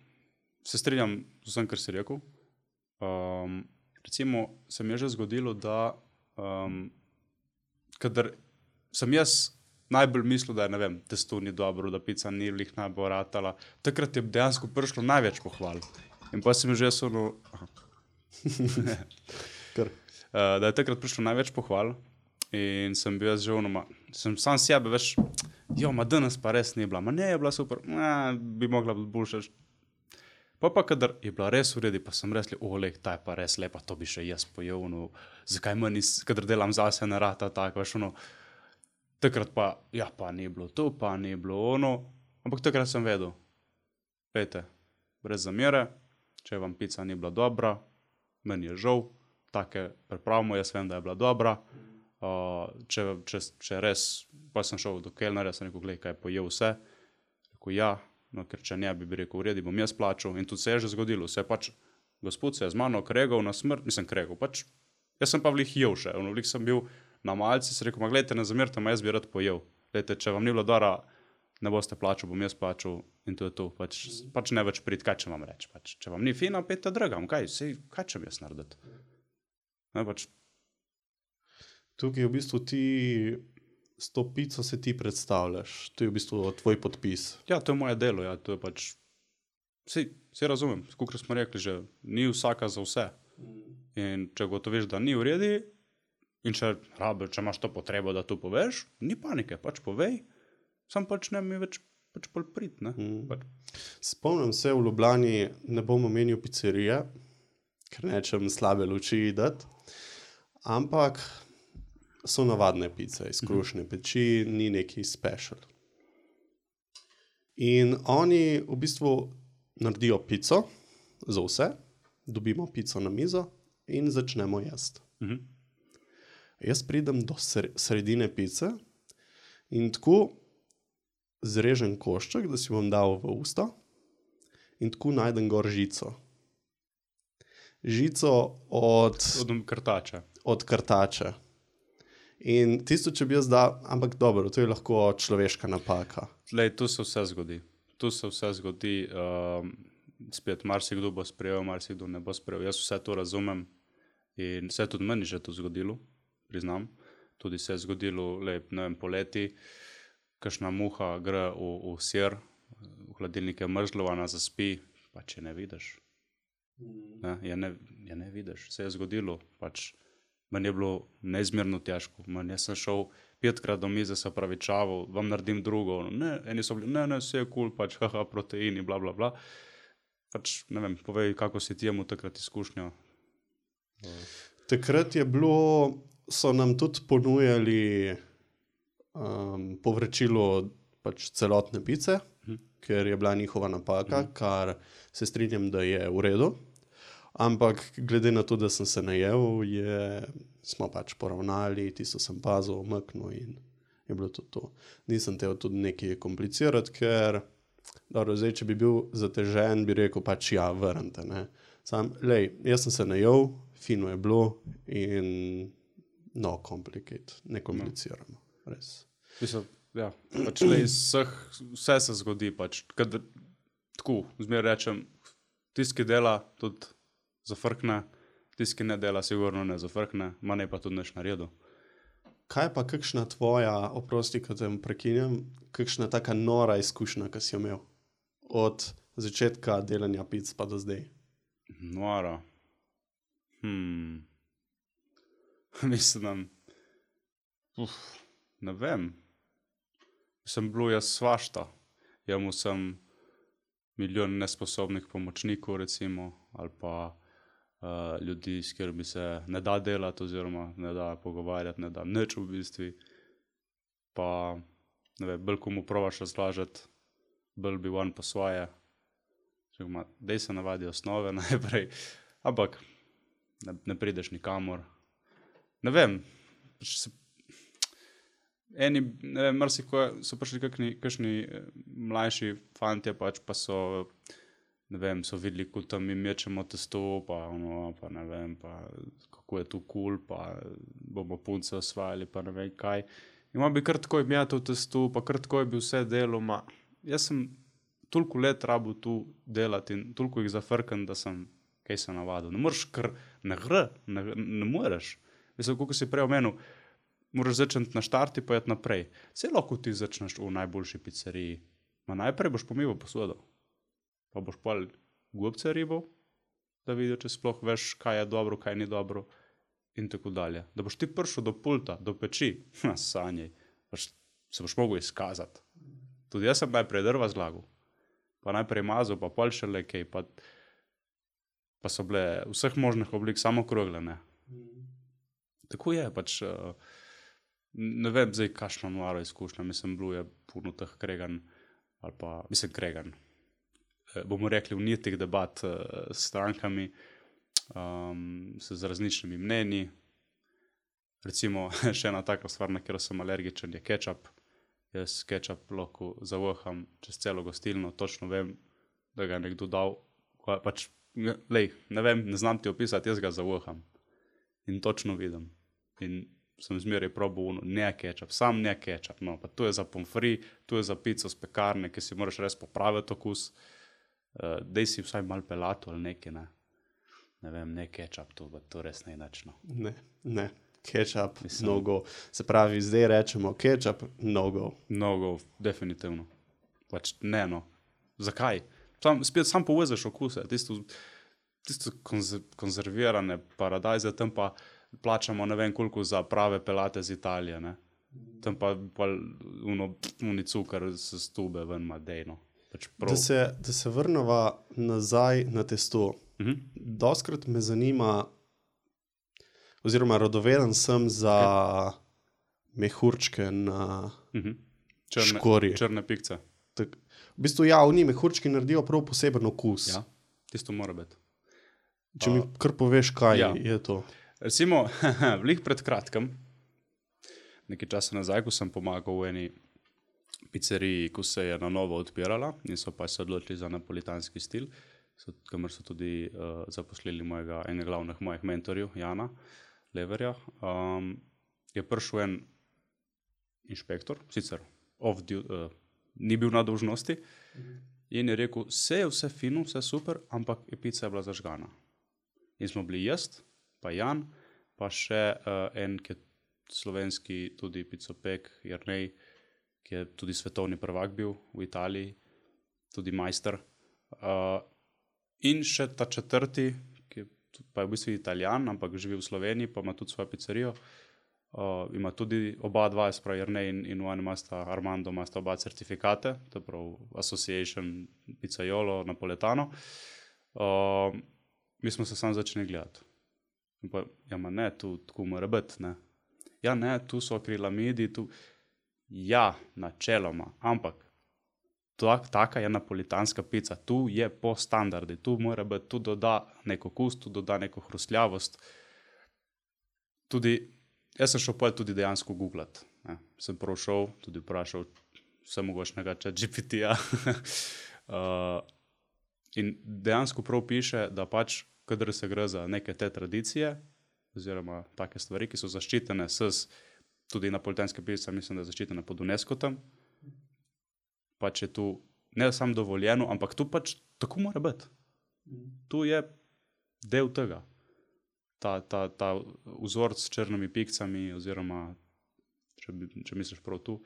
se strinjam z vsem, kar si rekel. Recimo, se mi je že zgodilo, da kadar sem jaz najbolj mislil, da je, ne vem, testo ni dobro, da pica ni lih najbolj ratala, takrat je dejansko prišlo največ pohval. In pa sem že da je takrat prišlo največ pohval in sem bil jaz že sem sam sebe, veš, danes pa res ni bila, ne je bila super, bi mogla biti boljša. Pa kadar je bila res v redu, pa sem res ta je pa res lepa, to bi še jaz pojel, zakaj manj, kadar delam zase, ne rata tako, veš, takrat pa, pa ni bilo to, pa ni bilo ampak takrat sem vedel, glejte, brez zamere, če vam pica ni bila dobra, meni je žal, take pripravimo, jaz vem, da je bila dobra, če res, pa sem šel do kelnerja, sem rekel, glej, kaj je pojel vse, rekel, ja, ker če ne, bi rekel, v redu, bom jaz plačal, in tudi se je že zgodilo, se je pač, gospod se je z mano kregal na smrt, pač, jaz sem pa vlih jel še, vlih sem bil na malci, se rekel, gledajte, ne zamerite, jaz bi rad pojel, gledajte, če vam ni bilo dora, ne boste plačal, bom jaz plačal, in to je to, pač ne več prid, kaj če vam reči, pač, če vam ni fino, pejte dragam, kaj če mi jaz narediti, ne, pač. Tukaj v bistvu ti s to pico se ti predstavljaš, to je v bistvu tvoj podpis. Ja, to je moje delo, ja, to je pač, vse razumem, kakor smo rekli že, ni vsaka za vse. In če gotoviš, da ni v redu, In če imaš to potrebo, da to poveš, ni panike, pač povej, sam pač ne mi več pač pol prit, ne. Spomnim se, v Ljubljani ne bom omenil pizzerije, ker nečem slabe luči dati, ampak so navadne pice iz krušne peči, ni neki special. In oni v bistvu naredijo pico za vse, dobimo pico na mizo in začnemo jesti. Jaz pridem do sredine pice in tako zrežem košček, da si bom dal v usta in tako najdem gor žico. Žico od krtača. In tisto, če bi jaz dal, ampak dobro, to je lahko človeška napaka. Lej, tu se vse zgodi. Spet, marsikdo bo sprejel, marsikdo ne bo sprejel. Jaz vse to razumem in se je tudi meni že to zgodilo, priznam. Tudi se je zgodilo, ne vem, poleti, kakšna muha gre v sir, v hladilnik je mrzlo, ona zaspi, pa če ne vidiš. Ne vidiš, se je zgodilo, pač meni je bilo neizmerno težko. Jaz sem šel 5krat do mize, se opravičeval, vam naredim drugo. Eni so bili, ne, vse je cool, pač proteini, bla, bla, bla. Pač, ne vem, povej, kako si ti imel takrat izkušnjo. Takrat je bilo, so nam tudi ponujali povračilo pač celotne pice, ker je bila njihova napaka, kar se strinjam, da je v redu. Ampak glede na to, da sem se najel, smo pač poravnali, tisto sem pazil, umaknil in je bilo tudi to. Nisem hotel tudi nekaj komplicirati, ker dobro, zdaj, če bi bil zatežen, bi rekel pač ja, vrnite, ne. Jaz sem se najel, fino je bilo in no complicate, ne kompliciramo, res. Mislim, ja, pač vse se zgodi, pač, tako, zmeraj rečem, tisti, ki dela, tudi zafrkne, tisti, ki ne dela, sigurno ne zafrkne, ne pa tudi nič naredil. Kaj pa kakšna tvoja, oprosti, ko te prekinjam, kakšna taka nora izkušnja, ki si jo imel od začetka delanja pic pa do zdaj? Nora? Mislim, ne vem. Sem bil jaz svašta. Imel sem milijon nesposobnih pomočnikov, recimo, ali pa ljudi, s katerimi se ne da delati oziroma ne da pogovarjati, ne da nič v bistvu. Pa, ne vem, bolj komu probaš razlažati, bolj bi on po svoje. Dej se navadi osnove najprej, ampak ne prideš nikamor. Ne vem, so prišli kakšni mlajši fantje, pač pa so, ne vem, so videli, ko tam mi mečemo testo, pa ne vem, pa kako je tu cool, pa bomo punce osvajali, pa ne vem kaj. In bi kar takoj metal testo, pa kar takoj bi vse delal, jaz sem toliko let rabil tu delati in toliko jih zafrkam, da sem kaj se navadil. Ne moreš kar, ne moreš. Mislim, kako si prej omenil, moraš začeti na štarti pa jeti naprej. Saj lahko ti začneš v najboljši pizzeriji. Najprej boš pomival posodo. Pa boš pol gobce ribal, da vidijo, če sploh veš, kaj je dobro, kaj ni dobro in tako dalje. Da boš ti prišel do pulta, do peči, sanjaj, se boš mogel izkazati. Tudi jaz sem najprej drva zlagal, pa najprej mazal, pa pol šele kaj, pa so bile vseh možnih oblik samo okrogle, ne. Tako je, pač, ne vem zdaj, kakšno noro izkušnja, mislim, bilo je puno teh kreganj, ali pa, mislim, kreganj, bomo rekli vnitih debat s strankami, z različnimi mnenji. Recimo, še ena taka stvar, na katero sem alergičen, je kečap. Jaz kečap lahko zavaham čez celo gostilno, točno vem, da ga je nekdo dal, pač, ne vem, ne znam ti opisati, jaz ga zavaham. In točno vidim. In sem zmeraj probal ne kečap, sam ne kečap, no, pa to je za pomfri, to je za pico z pekarne, ki si moraš res popraviti okus. Dej si vsaj malo pelato ali nekaj, ne. Ne vem, ne kečap, to res ne inačno. Ne, kečap, no go. Se pravi, zdaj rečemo kečap, no go. No go, definitivno. Pač ne, no. Zakaj? Sam povezaš okuse, tisto konzervirane paradajze, tam pa plačamo ne vem koliko za prave pelate z Italije, ne. Tam pa uni cukor s stube ven ima dejno. Pač Da se vrneva nazaj na testo. Doskrat me zanima, oziroma radoveden sem za mehurčke na škorji. Črne pikce. V bistvu oni mehurčki naredijo prav poseben okus. Ja, tisto mora biti. Če mi kar poveš, kaj je to. Recimo, vlih pred kratkem, nekaj časa nazaj, ko sem pomagal v eni pizzeriji, ko se je na novo odpirala in so pa se odločili za napolitanski stil, kamor so tudi zaposlili enega glavnih mojih mentorjev, Jana Leverja, je prišel en inšpektor, sicer ni bil na dolžnosti, in je rekel, vse fino, vse super, ampak pizza je bila zažgana. In smo bili jaz, pa Jan, pa še en, ki je slovenski tudi pizzopek, Jernej, ki je tudi svetovni prvak bil v Italiji, tudi majster. In še ta četrti, ki pa je v bistvu Italijan, ampak živi v Sloveniji, pa ima tudi svojo pizzerijo. Ima tudi oba dva, sprav Jernej in Armando, imata oba certifikate, to prav Association Pizzaiolo Napoletano. Mi smo se sam začeli gledati. In pa, ne, tu tako mora biti, ne. Ja, ne, tu so akrilamidi, tu... Ja, načeloma, ampak taka je napolitanska pica, tu je po standardi, tu mora biti, tu doda neko okus, tu doda neko hrustljavost. Tudi, jaz sem šel potem tudi dejansko googlat, ne. Sem prav šel, tudi vprašal vsemogočnega ChatGPT-ja. In dejansko prav piše, da pač, kadar se gre za neke te tradicije, oziroma take stvari, ki so zaščitene tudi napolitanska pica, mislim, da je zaščitena pod UNESCO tam, pač je tu ne samo dovoljeno, ampak tu pač tako mora biti. Tu je del tega. Ta vzorc s črnimi pikcami, oziroma, če misliš prav tu.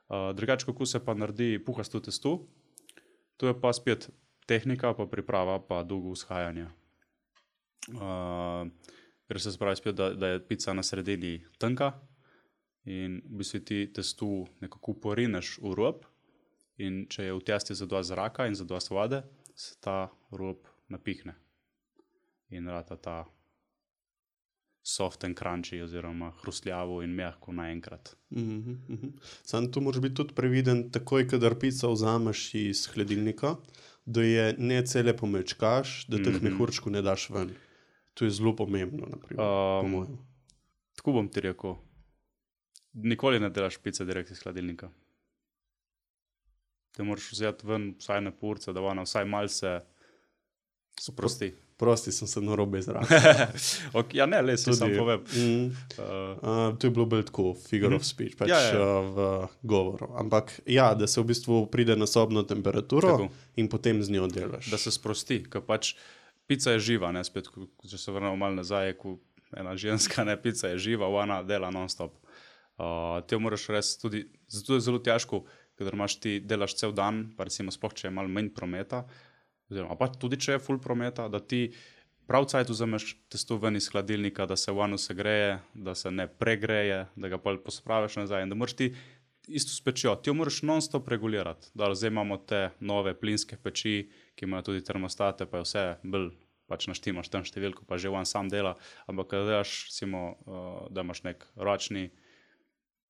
Drugače, kako se pa naredi puhasto testo, tu je pa spet tehnika, pa priprava, pa dolgo vzhajanje. Ker se spravi spet, da je pica na sredini tanka in v bistvu ti testo nekako porineš v rob in če je v testi zadosti zraka in zadosti vode, se ta rob napihne in rata ta soft and crunchy oziroma hrustljavo in mehko naenkrat. Samo tu moraš biti tudi previden, takoj, kadar pico vzameš iz hladilnika, da je ne cele pomečkaš, da teh mehurčkov ne daš ven. To je zelo pomembno, naprimer, po mojem. Tako bom ti rekel. Nikoli ne delaš pice direkt iz hladilnika. Te moraš vzeti ven vsaj na purce, da ona vsaj malce sprosti. Prosti sem se narobe izrazil. Ja, ne, le si sam povem. To je bilo bolj tako, figure of speech, pač v govoru. Ampak ja, da se v bistvu pride na sobno temperaturo tako. In potem z njo delaš. Da se sprosti, ker pač pica je živa, ne, spet, če se vrnemo malo nazaj, ko ena ženska, ne, pica je živa, ona dela non-stop. Te moraš res tudi, zato je zelo težko, kadar ti delaš cel dan, pa recimo sploh, če je malo manj prometa, oziroma pa tudi, če je full prometa, da ti prav cajt vzameš testo ven iz hladilnika, da se vano segreje, da se ne pregreje, da ga pa pospraviš nazaj in da moraš ti isto s pečjo, ti jo moraš non-stop regulirati. Da, zdaj imamo te nove plinske peči, ki imajo tudi termostate, pa je vse bolj pač naštimaš tam številko, pa že on sam dela, ampak kada delaš, da imaš nek ročni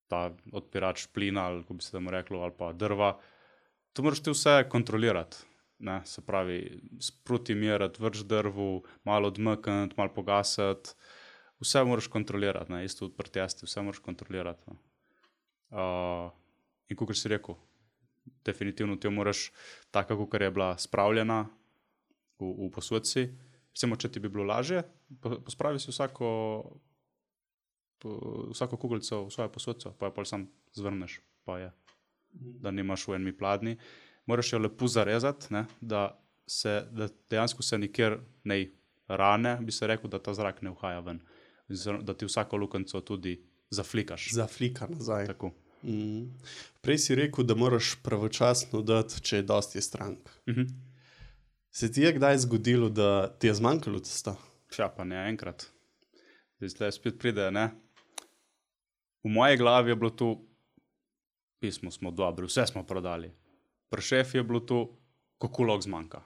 ta odpirač plina, ali ko bi se temu reklo, ali pa drva, to moraš ti vse kontrolirati. Ne, se pravi, sproti merati, vrč drvu, malo odmkniti, malo pogasiti, vse moraš kontrolirati, ne, isto pri testi, vse moraš kontrolirati. Ne. In kakor si rekel, definitivno ti jo moraš taka, kakor je bila spravljena v posodci. Recimo, če ti bi bilo lažje, pospravi si vsako kuglico v svojo posodco, pa jo pa sam zvrneš, pa je, da nimaš v enmi pladni. Moraš jo lepo zarezati, ne, da dejansko se nikjer ne rane, bi se rekel, da ta zrak ne uhaja ven. Da ti vsako lukenco tudi zaflikaš. Zaflika nazaj. Tako. Prej si rekel, da moraš pravočasno dati, če je dosti strank. Se ti je kdaj zgodilo, da ti je zmanjkalo testa? Ja, pa ne enkrat. Zdaj spet pride, ne? V moji glavi je bilo to, pismo smo dobri, vse smo prodali. Pri šefi je bilo to, kako lahko zmanjka.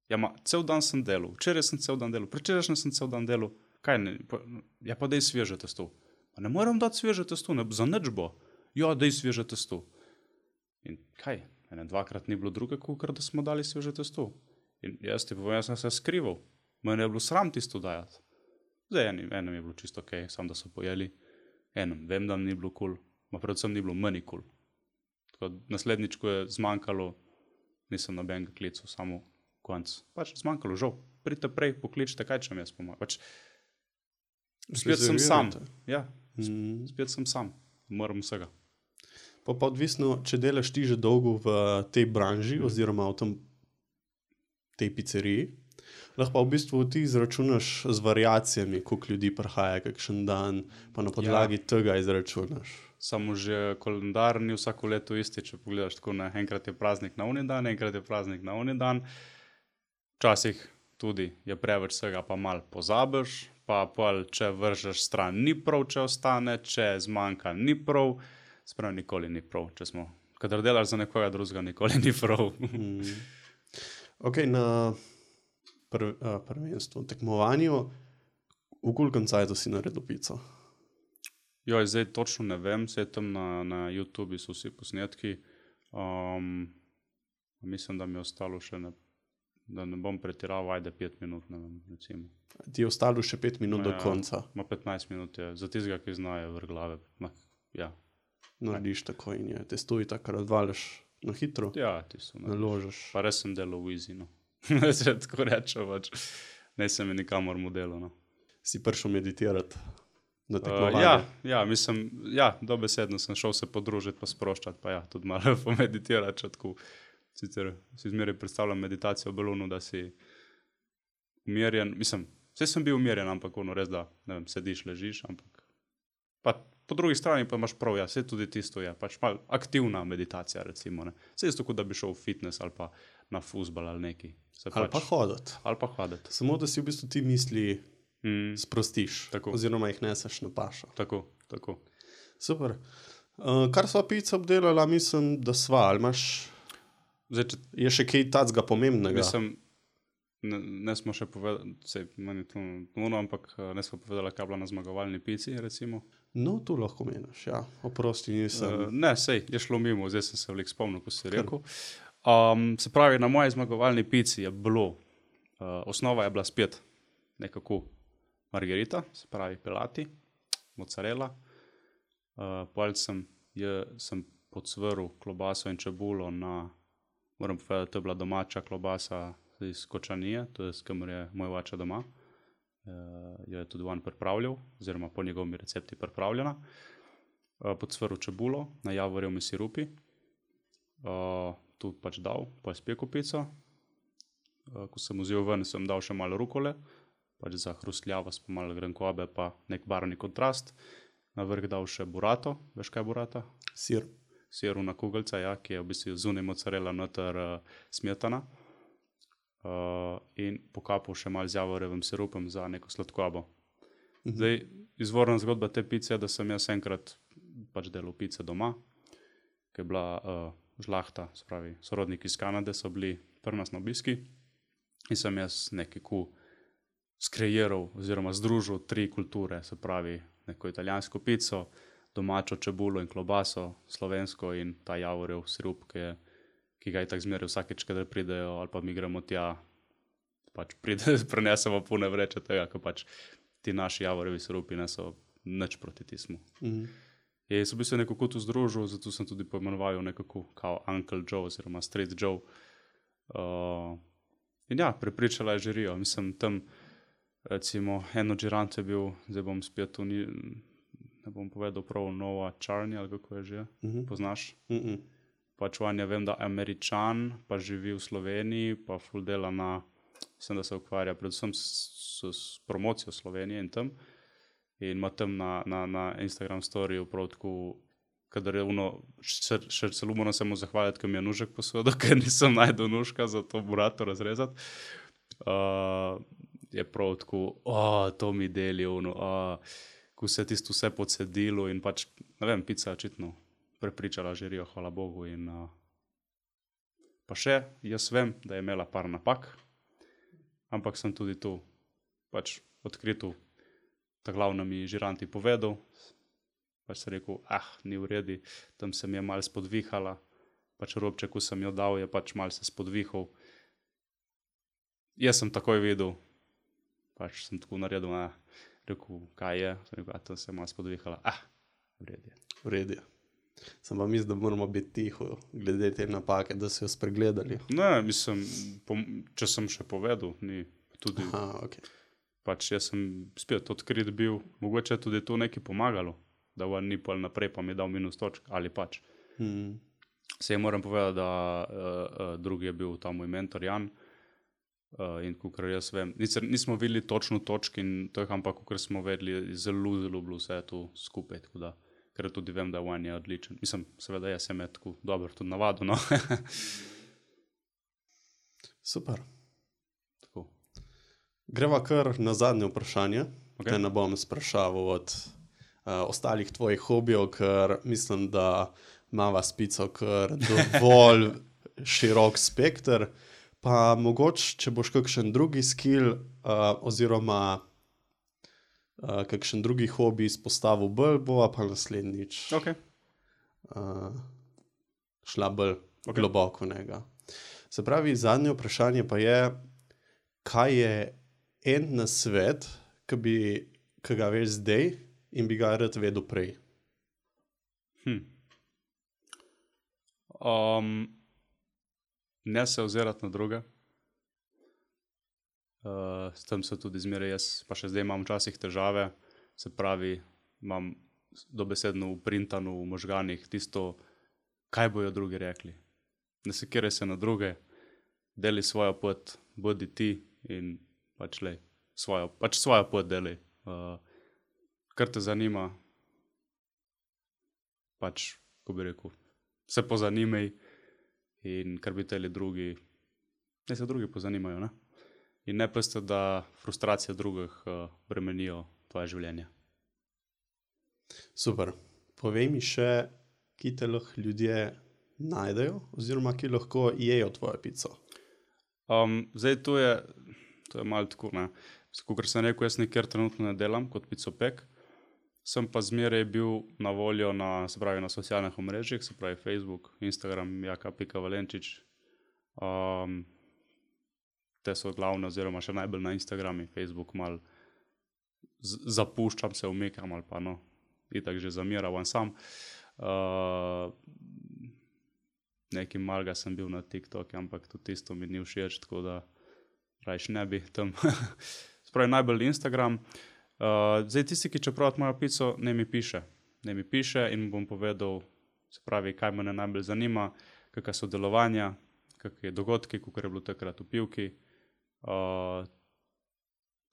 Ja, cel dan sem delal, včeraj sem cel dan delal, prečerajšnjem sem cel dan delal, kaj ne, pa daj sveže testo. Pa ne moram dati sveže testo, za nič bo. Ja, daj sveže testo. In kaj, dvakrat ni bilo druge, kot da smo dali sveže testo. In jaz ti povem, jaz sem se skrival, meni je bilo sram tisto dajati. Zdaj enem je bilo čisto okej, sam da so pojeli, enem vem, da ni bilo kul, predvsem ni bilo meni kul. Tako naslednjič, ko je zmanjkalo, nisem nobenega klical, samo konc. Pač zmanjkalo, žal. Pridite prej, pokličite, kaj če mi jaz pomagam. Pač spet sem sam. Ja, spet sem sam. Moram vsega. Pa odvisno, če delaš ti že dolgo v tej branži oziroma v tej pizzeriji, lahko pa v bistvu ti izračunaš z variacijami, koliko ljudi prihaja kakšen dan, pa na podlagi tega izračunaš. Samo že kalendar ni vsako leto isti, če pogledaš tako, ne, enkrat je praznik na oni dan, enkrat je praznik na oni dan. Včasih tudi je preveč vsega, pa malo pozabiš, pa če vržeš stran ni prav, če ostane, če zmanjka ni prav, sprav nikoli ni prav, če smo, kadar delaš za nekoga drugega, nikoli ni prav. Ok, na prvenstvu, tekmovanju, v kolikem cajtu si naredil pico? Joj, zdaj točno ne vem, se tam na YouTubi so vsi posnetki. Mislim, da mi je ostalo še, da ne bom pretiraval, ajde 5 minut, ne vem, recimo. Ti je ostalo še 5 minut do konca? 15 minut je, za tistega, ki znajo vrh glave. Ja. Narediš tako in je, testuji tako, razvališ na hitro? Ja, tisto. Naložiš. Pa res sem delal v easy, no. Se tako rečem, pač. Ne sem je nikamor modelo, no. Si prišel meditirati? Mislim, dobesedno sem šel se podružiti pa sproščati, pa tudi malo pomeditirati, tako. Sicer si zmeraj predstavljam meditacijo v balonu, da si umirjen, mislim, vse sem bil umirjen, ampak res da, ne vem, sediš, ležiš, ampak pa po drugi strani pa imaš prav, vse tudi tisto je, pač malo aktivna meditacija, recimo, ne. Vse isto, kot da bi šel v fitness ali pa na fuzbal ali neki. Ali pa hoditi. Samo, da si v bistvu ti misli sprostiš, tako. Oziroma jih neseš na pašo. Tako. Super. Kar sva pico obdelala, mislim, da sva, ali imaš, je še kaj tacga pomembnega? Mislim, ne smo še povedali, meni to nuno, ampak ne smo povedali, kaj je bila na zmagovalni pici, recimo. No, tu lahko meniš, ja. Oprosti, nisem. Ne, je šlo mimo, zdaj sem se veliko spomnil, ko si rekel. Se pravi, na moji zmagovalni pici je bilo, osnova je bila spet nekako margarita, se pravi pelati, mozzarella. Sem podsvrl klobaso in čebulo na, moram povedati, to je bila domača klobasa iz Kočanije, to je s kamer je moj oče doma. Jo je tudi on pripravljal, oziroma po njegovimi recepti pripravljena. Podsvrl čebulo na javorjevi sirupi, tu pač dal, pa je spekel pico. Ko sem vzel ven, sem dal še malo rukole, pač za hrustljavost, pa malo grenkobe, pa nek barvni kontrast. Na vrh dal še burato, veš kaj je burata? Sir na kugelca, ja, ki je v bistvu zunaj mozzarella, noter smetana. In pokapal še malo z javorjevim sirupom za neko sladkobo. Zdaj, izvorna zgodba te pice je, da sem jaz enkrat pač delal pice doma, ki je bila žlahta, se pravi, sorodniki iz Kanade so bili pri nas na obiski in sem jaz nekako skreiral oziroma združil 3 kulture, se pravi, neko italijansko pico, domačo čebulo in klobaso, slovensko in ta javorjev sirup, ki ga itak zmeraj vsakeč, kadar pridejo ali pa mi gremo tja, pač prenesemo pune vreče tega, ko pač ti naši javorjevi sirupi niso nič proti tismu. In sem v bistvu nekako tu združil, zato sem tudi poimenoval nekako kao Uncle Joe oziroma Street Joe. In ja, prepričala je žirijo. Mislim, tam recimo eno džiranto je bil, zdaj bom spet ne bom povedal prav, Nova Čarni ali kako je že, poznaš? Pač on je, vem, da Američan, pa živi v Sloveniji, pa ful dela mislim, da se ukvarja predvsem s promocijo Slovenije in tam. In ima tam na Instagram storiju prav tako, kadar je še celo moram se mu zahvaliti, ker mi je nužek posodil, ker nisem najdel nužka za to burato razrezati. je prav tako, to mi deli, ko se je tisto vse pocedilo in pač, ne vem, pica je očitno prepričala žirijo, hvala Bogu. In, pa še, jaz vem, da je imela par napak, ampak sem tudi tu pač odkrito ta glavna mi žiranti povedal, pač sem rekel, ni v redu, tam se mi je malo spodvihala, pač robček, ko sem jo dal, je pač malo se spodvihal. Jaz sem takoj videl, pač sem tako naredil, rekel, kaj je, sem rekel, tam se je malo spodvihala, v redu je. V redu je. Sem pa mislim, da moramo biti tiho, glede te napake, da so jo spregledali. Ne, mislim, če sem še povedal, ni tudi, Okay. pač jaz sem spet odkrit bil, mogoče tudi to nekaj pomagalo, da on ni pol naprej, pa mi je dal minus točk, ali pač. Sej moram povedati, da drugi je bil ta moj mentor Jan, in kakor jaz vem, nismo videli točno točk in to, ampak kakor smo vedeli, zelo bilo vse tu skupaj, tako da, ker tudi vem, da on je odličen. Mislim, seveda jaz sem je tako dobro tudi navadil, no. Super. Tako. Greva kar na zadnje vprašanje. Okay. Te ne bom sprašaval od ostalih tvojih hobijev, ker mislim, da imava s pico kar dovolj širok spekter. Pa mogoče, če boš kakšen drugi skill oziroma kakšen drugi hobi izpostavil bolj, bova pa naslednjič šla bolj globoko njega. Se pravi, zadnje vprašanje pa je, kaj je en nasvet, ki ga veš zdaj in bi ga rad vedel prej? Ne se ozirati na druge. S tem se tudi zmeraj jaz, pa še zdaj imam včasih težave, se pravi, imam dobesedno uprintano v možganih tisto, kaj bojo drugi rekli. Ne sekiraj se na druge, deli svojo pot, bodi ti in pač svojo pot deli. Kar te zanima, pač, ko bi rekel, se pozanimaj in kar bi teli drugi, ne se drugi pozanimajo, ne? In ne peste, da frustracije drugih bremenijo tvoje življenje. Super. Povej mi še, ki te lahko ljudje najdejo oziroma ki lahko jejo tvojo pico. Zdaj to je malo tako, ne. Kakor sem rekel, jaz nikjer trenutno ne delam kot picopek, sem pa zmeraj bil na voljo na socialnih omrežjih, se pravi Facebook, Instagram, jaka.valenčič. Te so glavne oziroma še najbolj na Instagramu, Facebook malo zapuščam, se umikam ali pa no, itak že zamiravam sam. Nekaj malega sem bil na TikToku, ampak tudi tisto mi ni všeč, tako da rajš ne bi tam. Spravi najbolj Instagram. Zdaj tisti, ki čeprav mojo pico, ne mi piše in bom povedal, se pravi, kaj me najbolj zanima, kakšna so delovanja, kakšne dogodki, kakor je bilo takrat v pivki,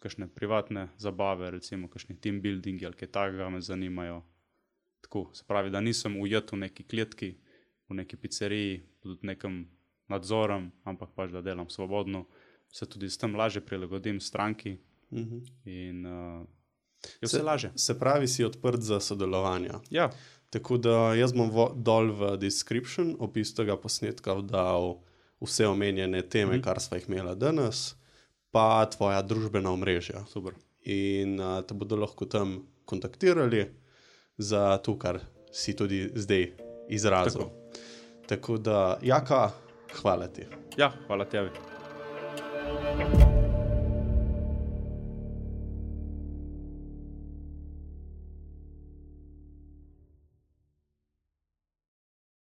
kakšne privatne zabave, recimo kakšni team buildingi ali kaj takega me zanimajo. Tako, se pravi, da nisem ujet v neki kletki, v neki pizzeriji, pod nekim nadzorom, ampak pač, da delam svobodno, se tudi s tem lažje prilagodim stranki in je vse lažje. Se pravi, si odprt za sodelovanja. Ja. Tako da jaz bom dol v description opis tega posnetka dal vse omenjene teme, kar sva jih imela danes, pa tvoja družbena omrežja. Super. In te bodo lahko tam kontaktirali za to, kar si tudi zdaj izrazil. Tako da, Jaka, hvala ti. Ja, hvala tebi.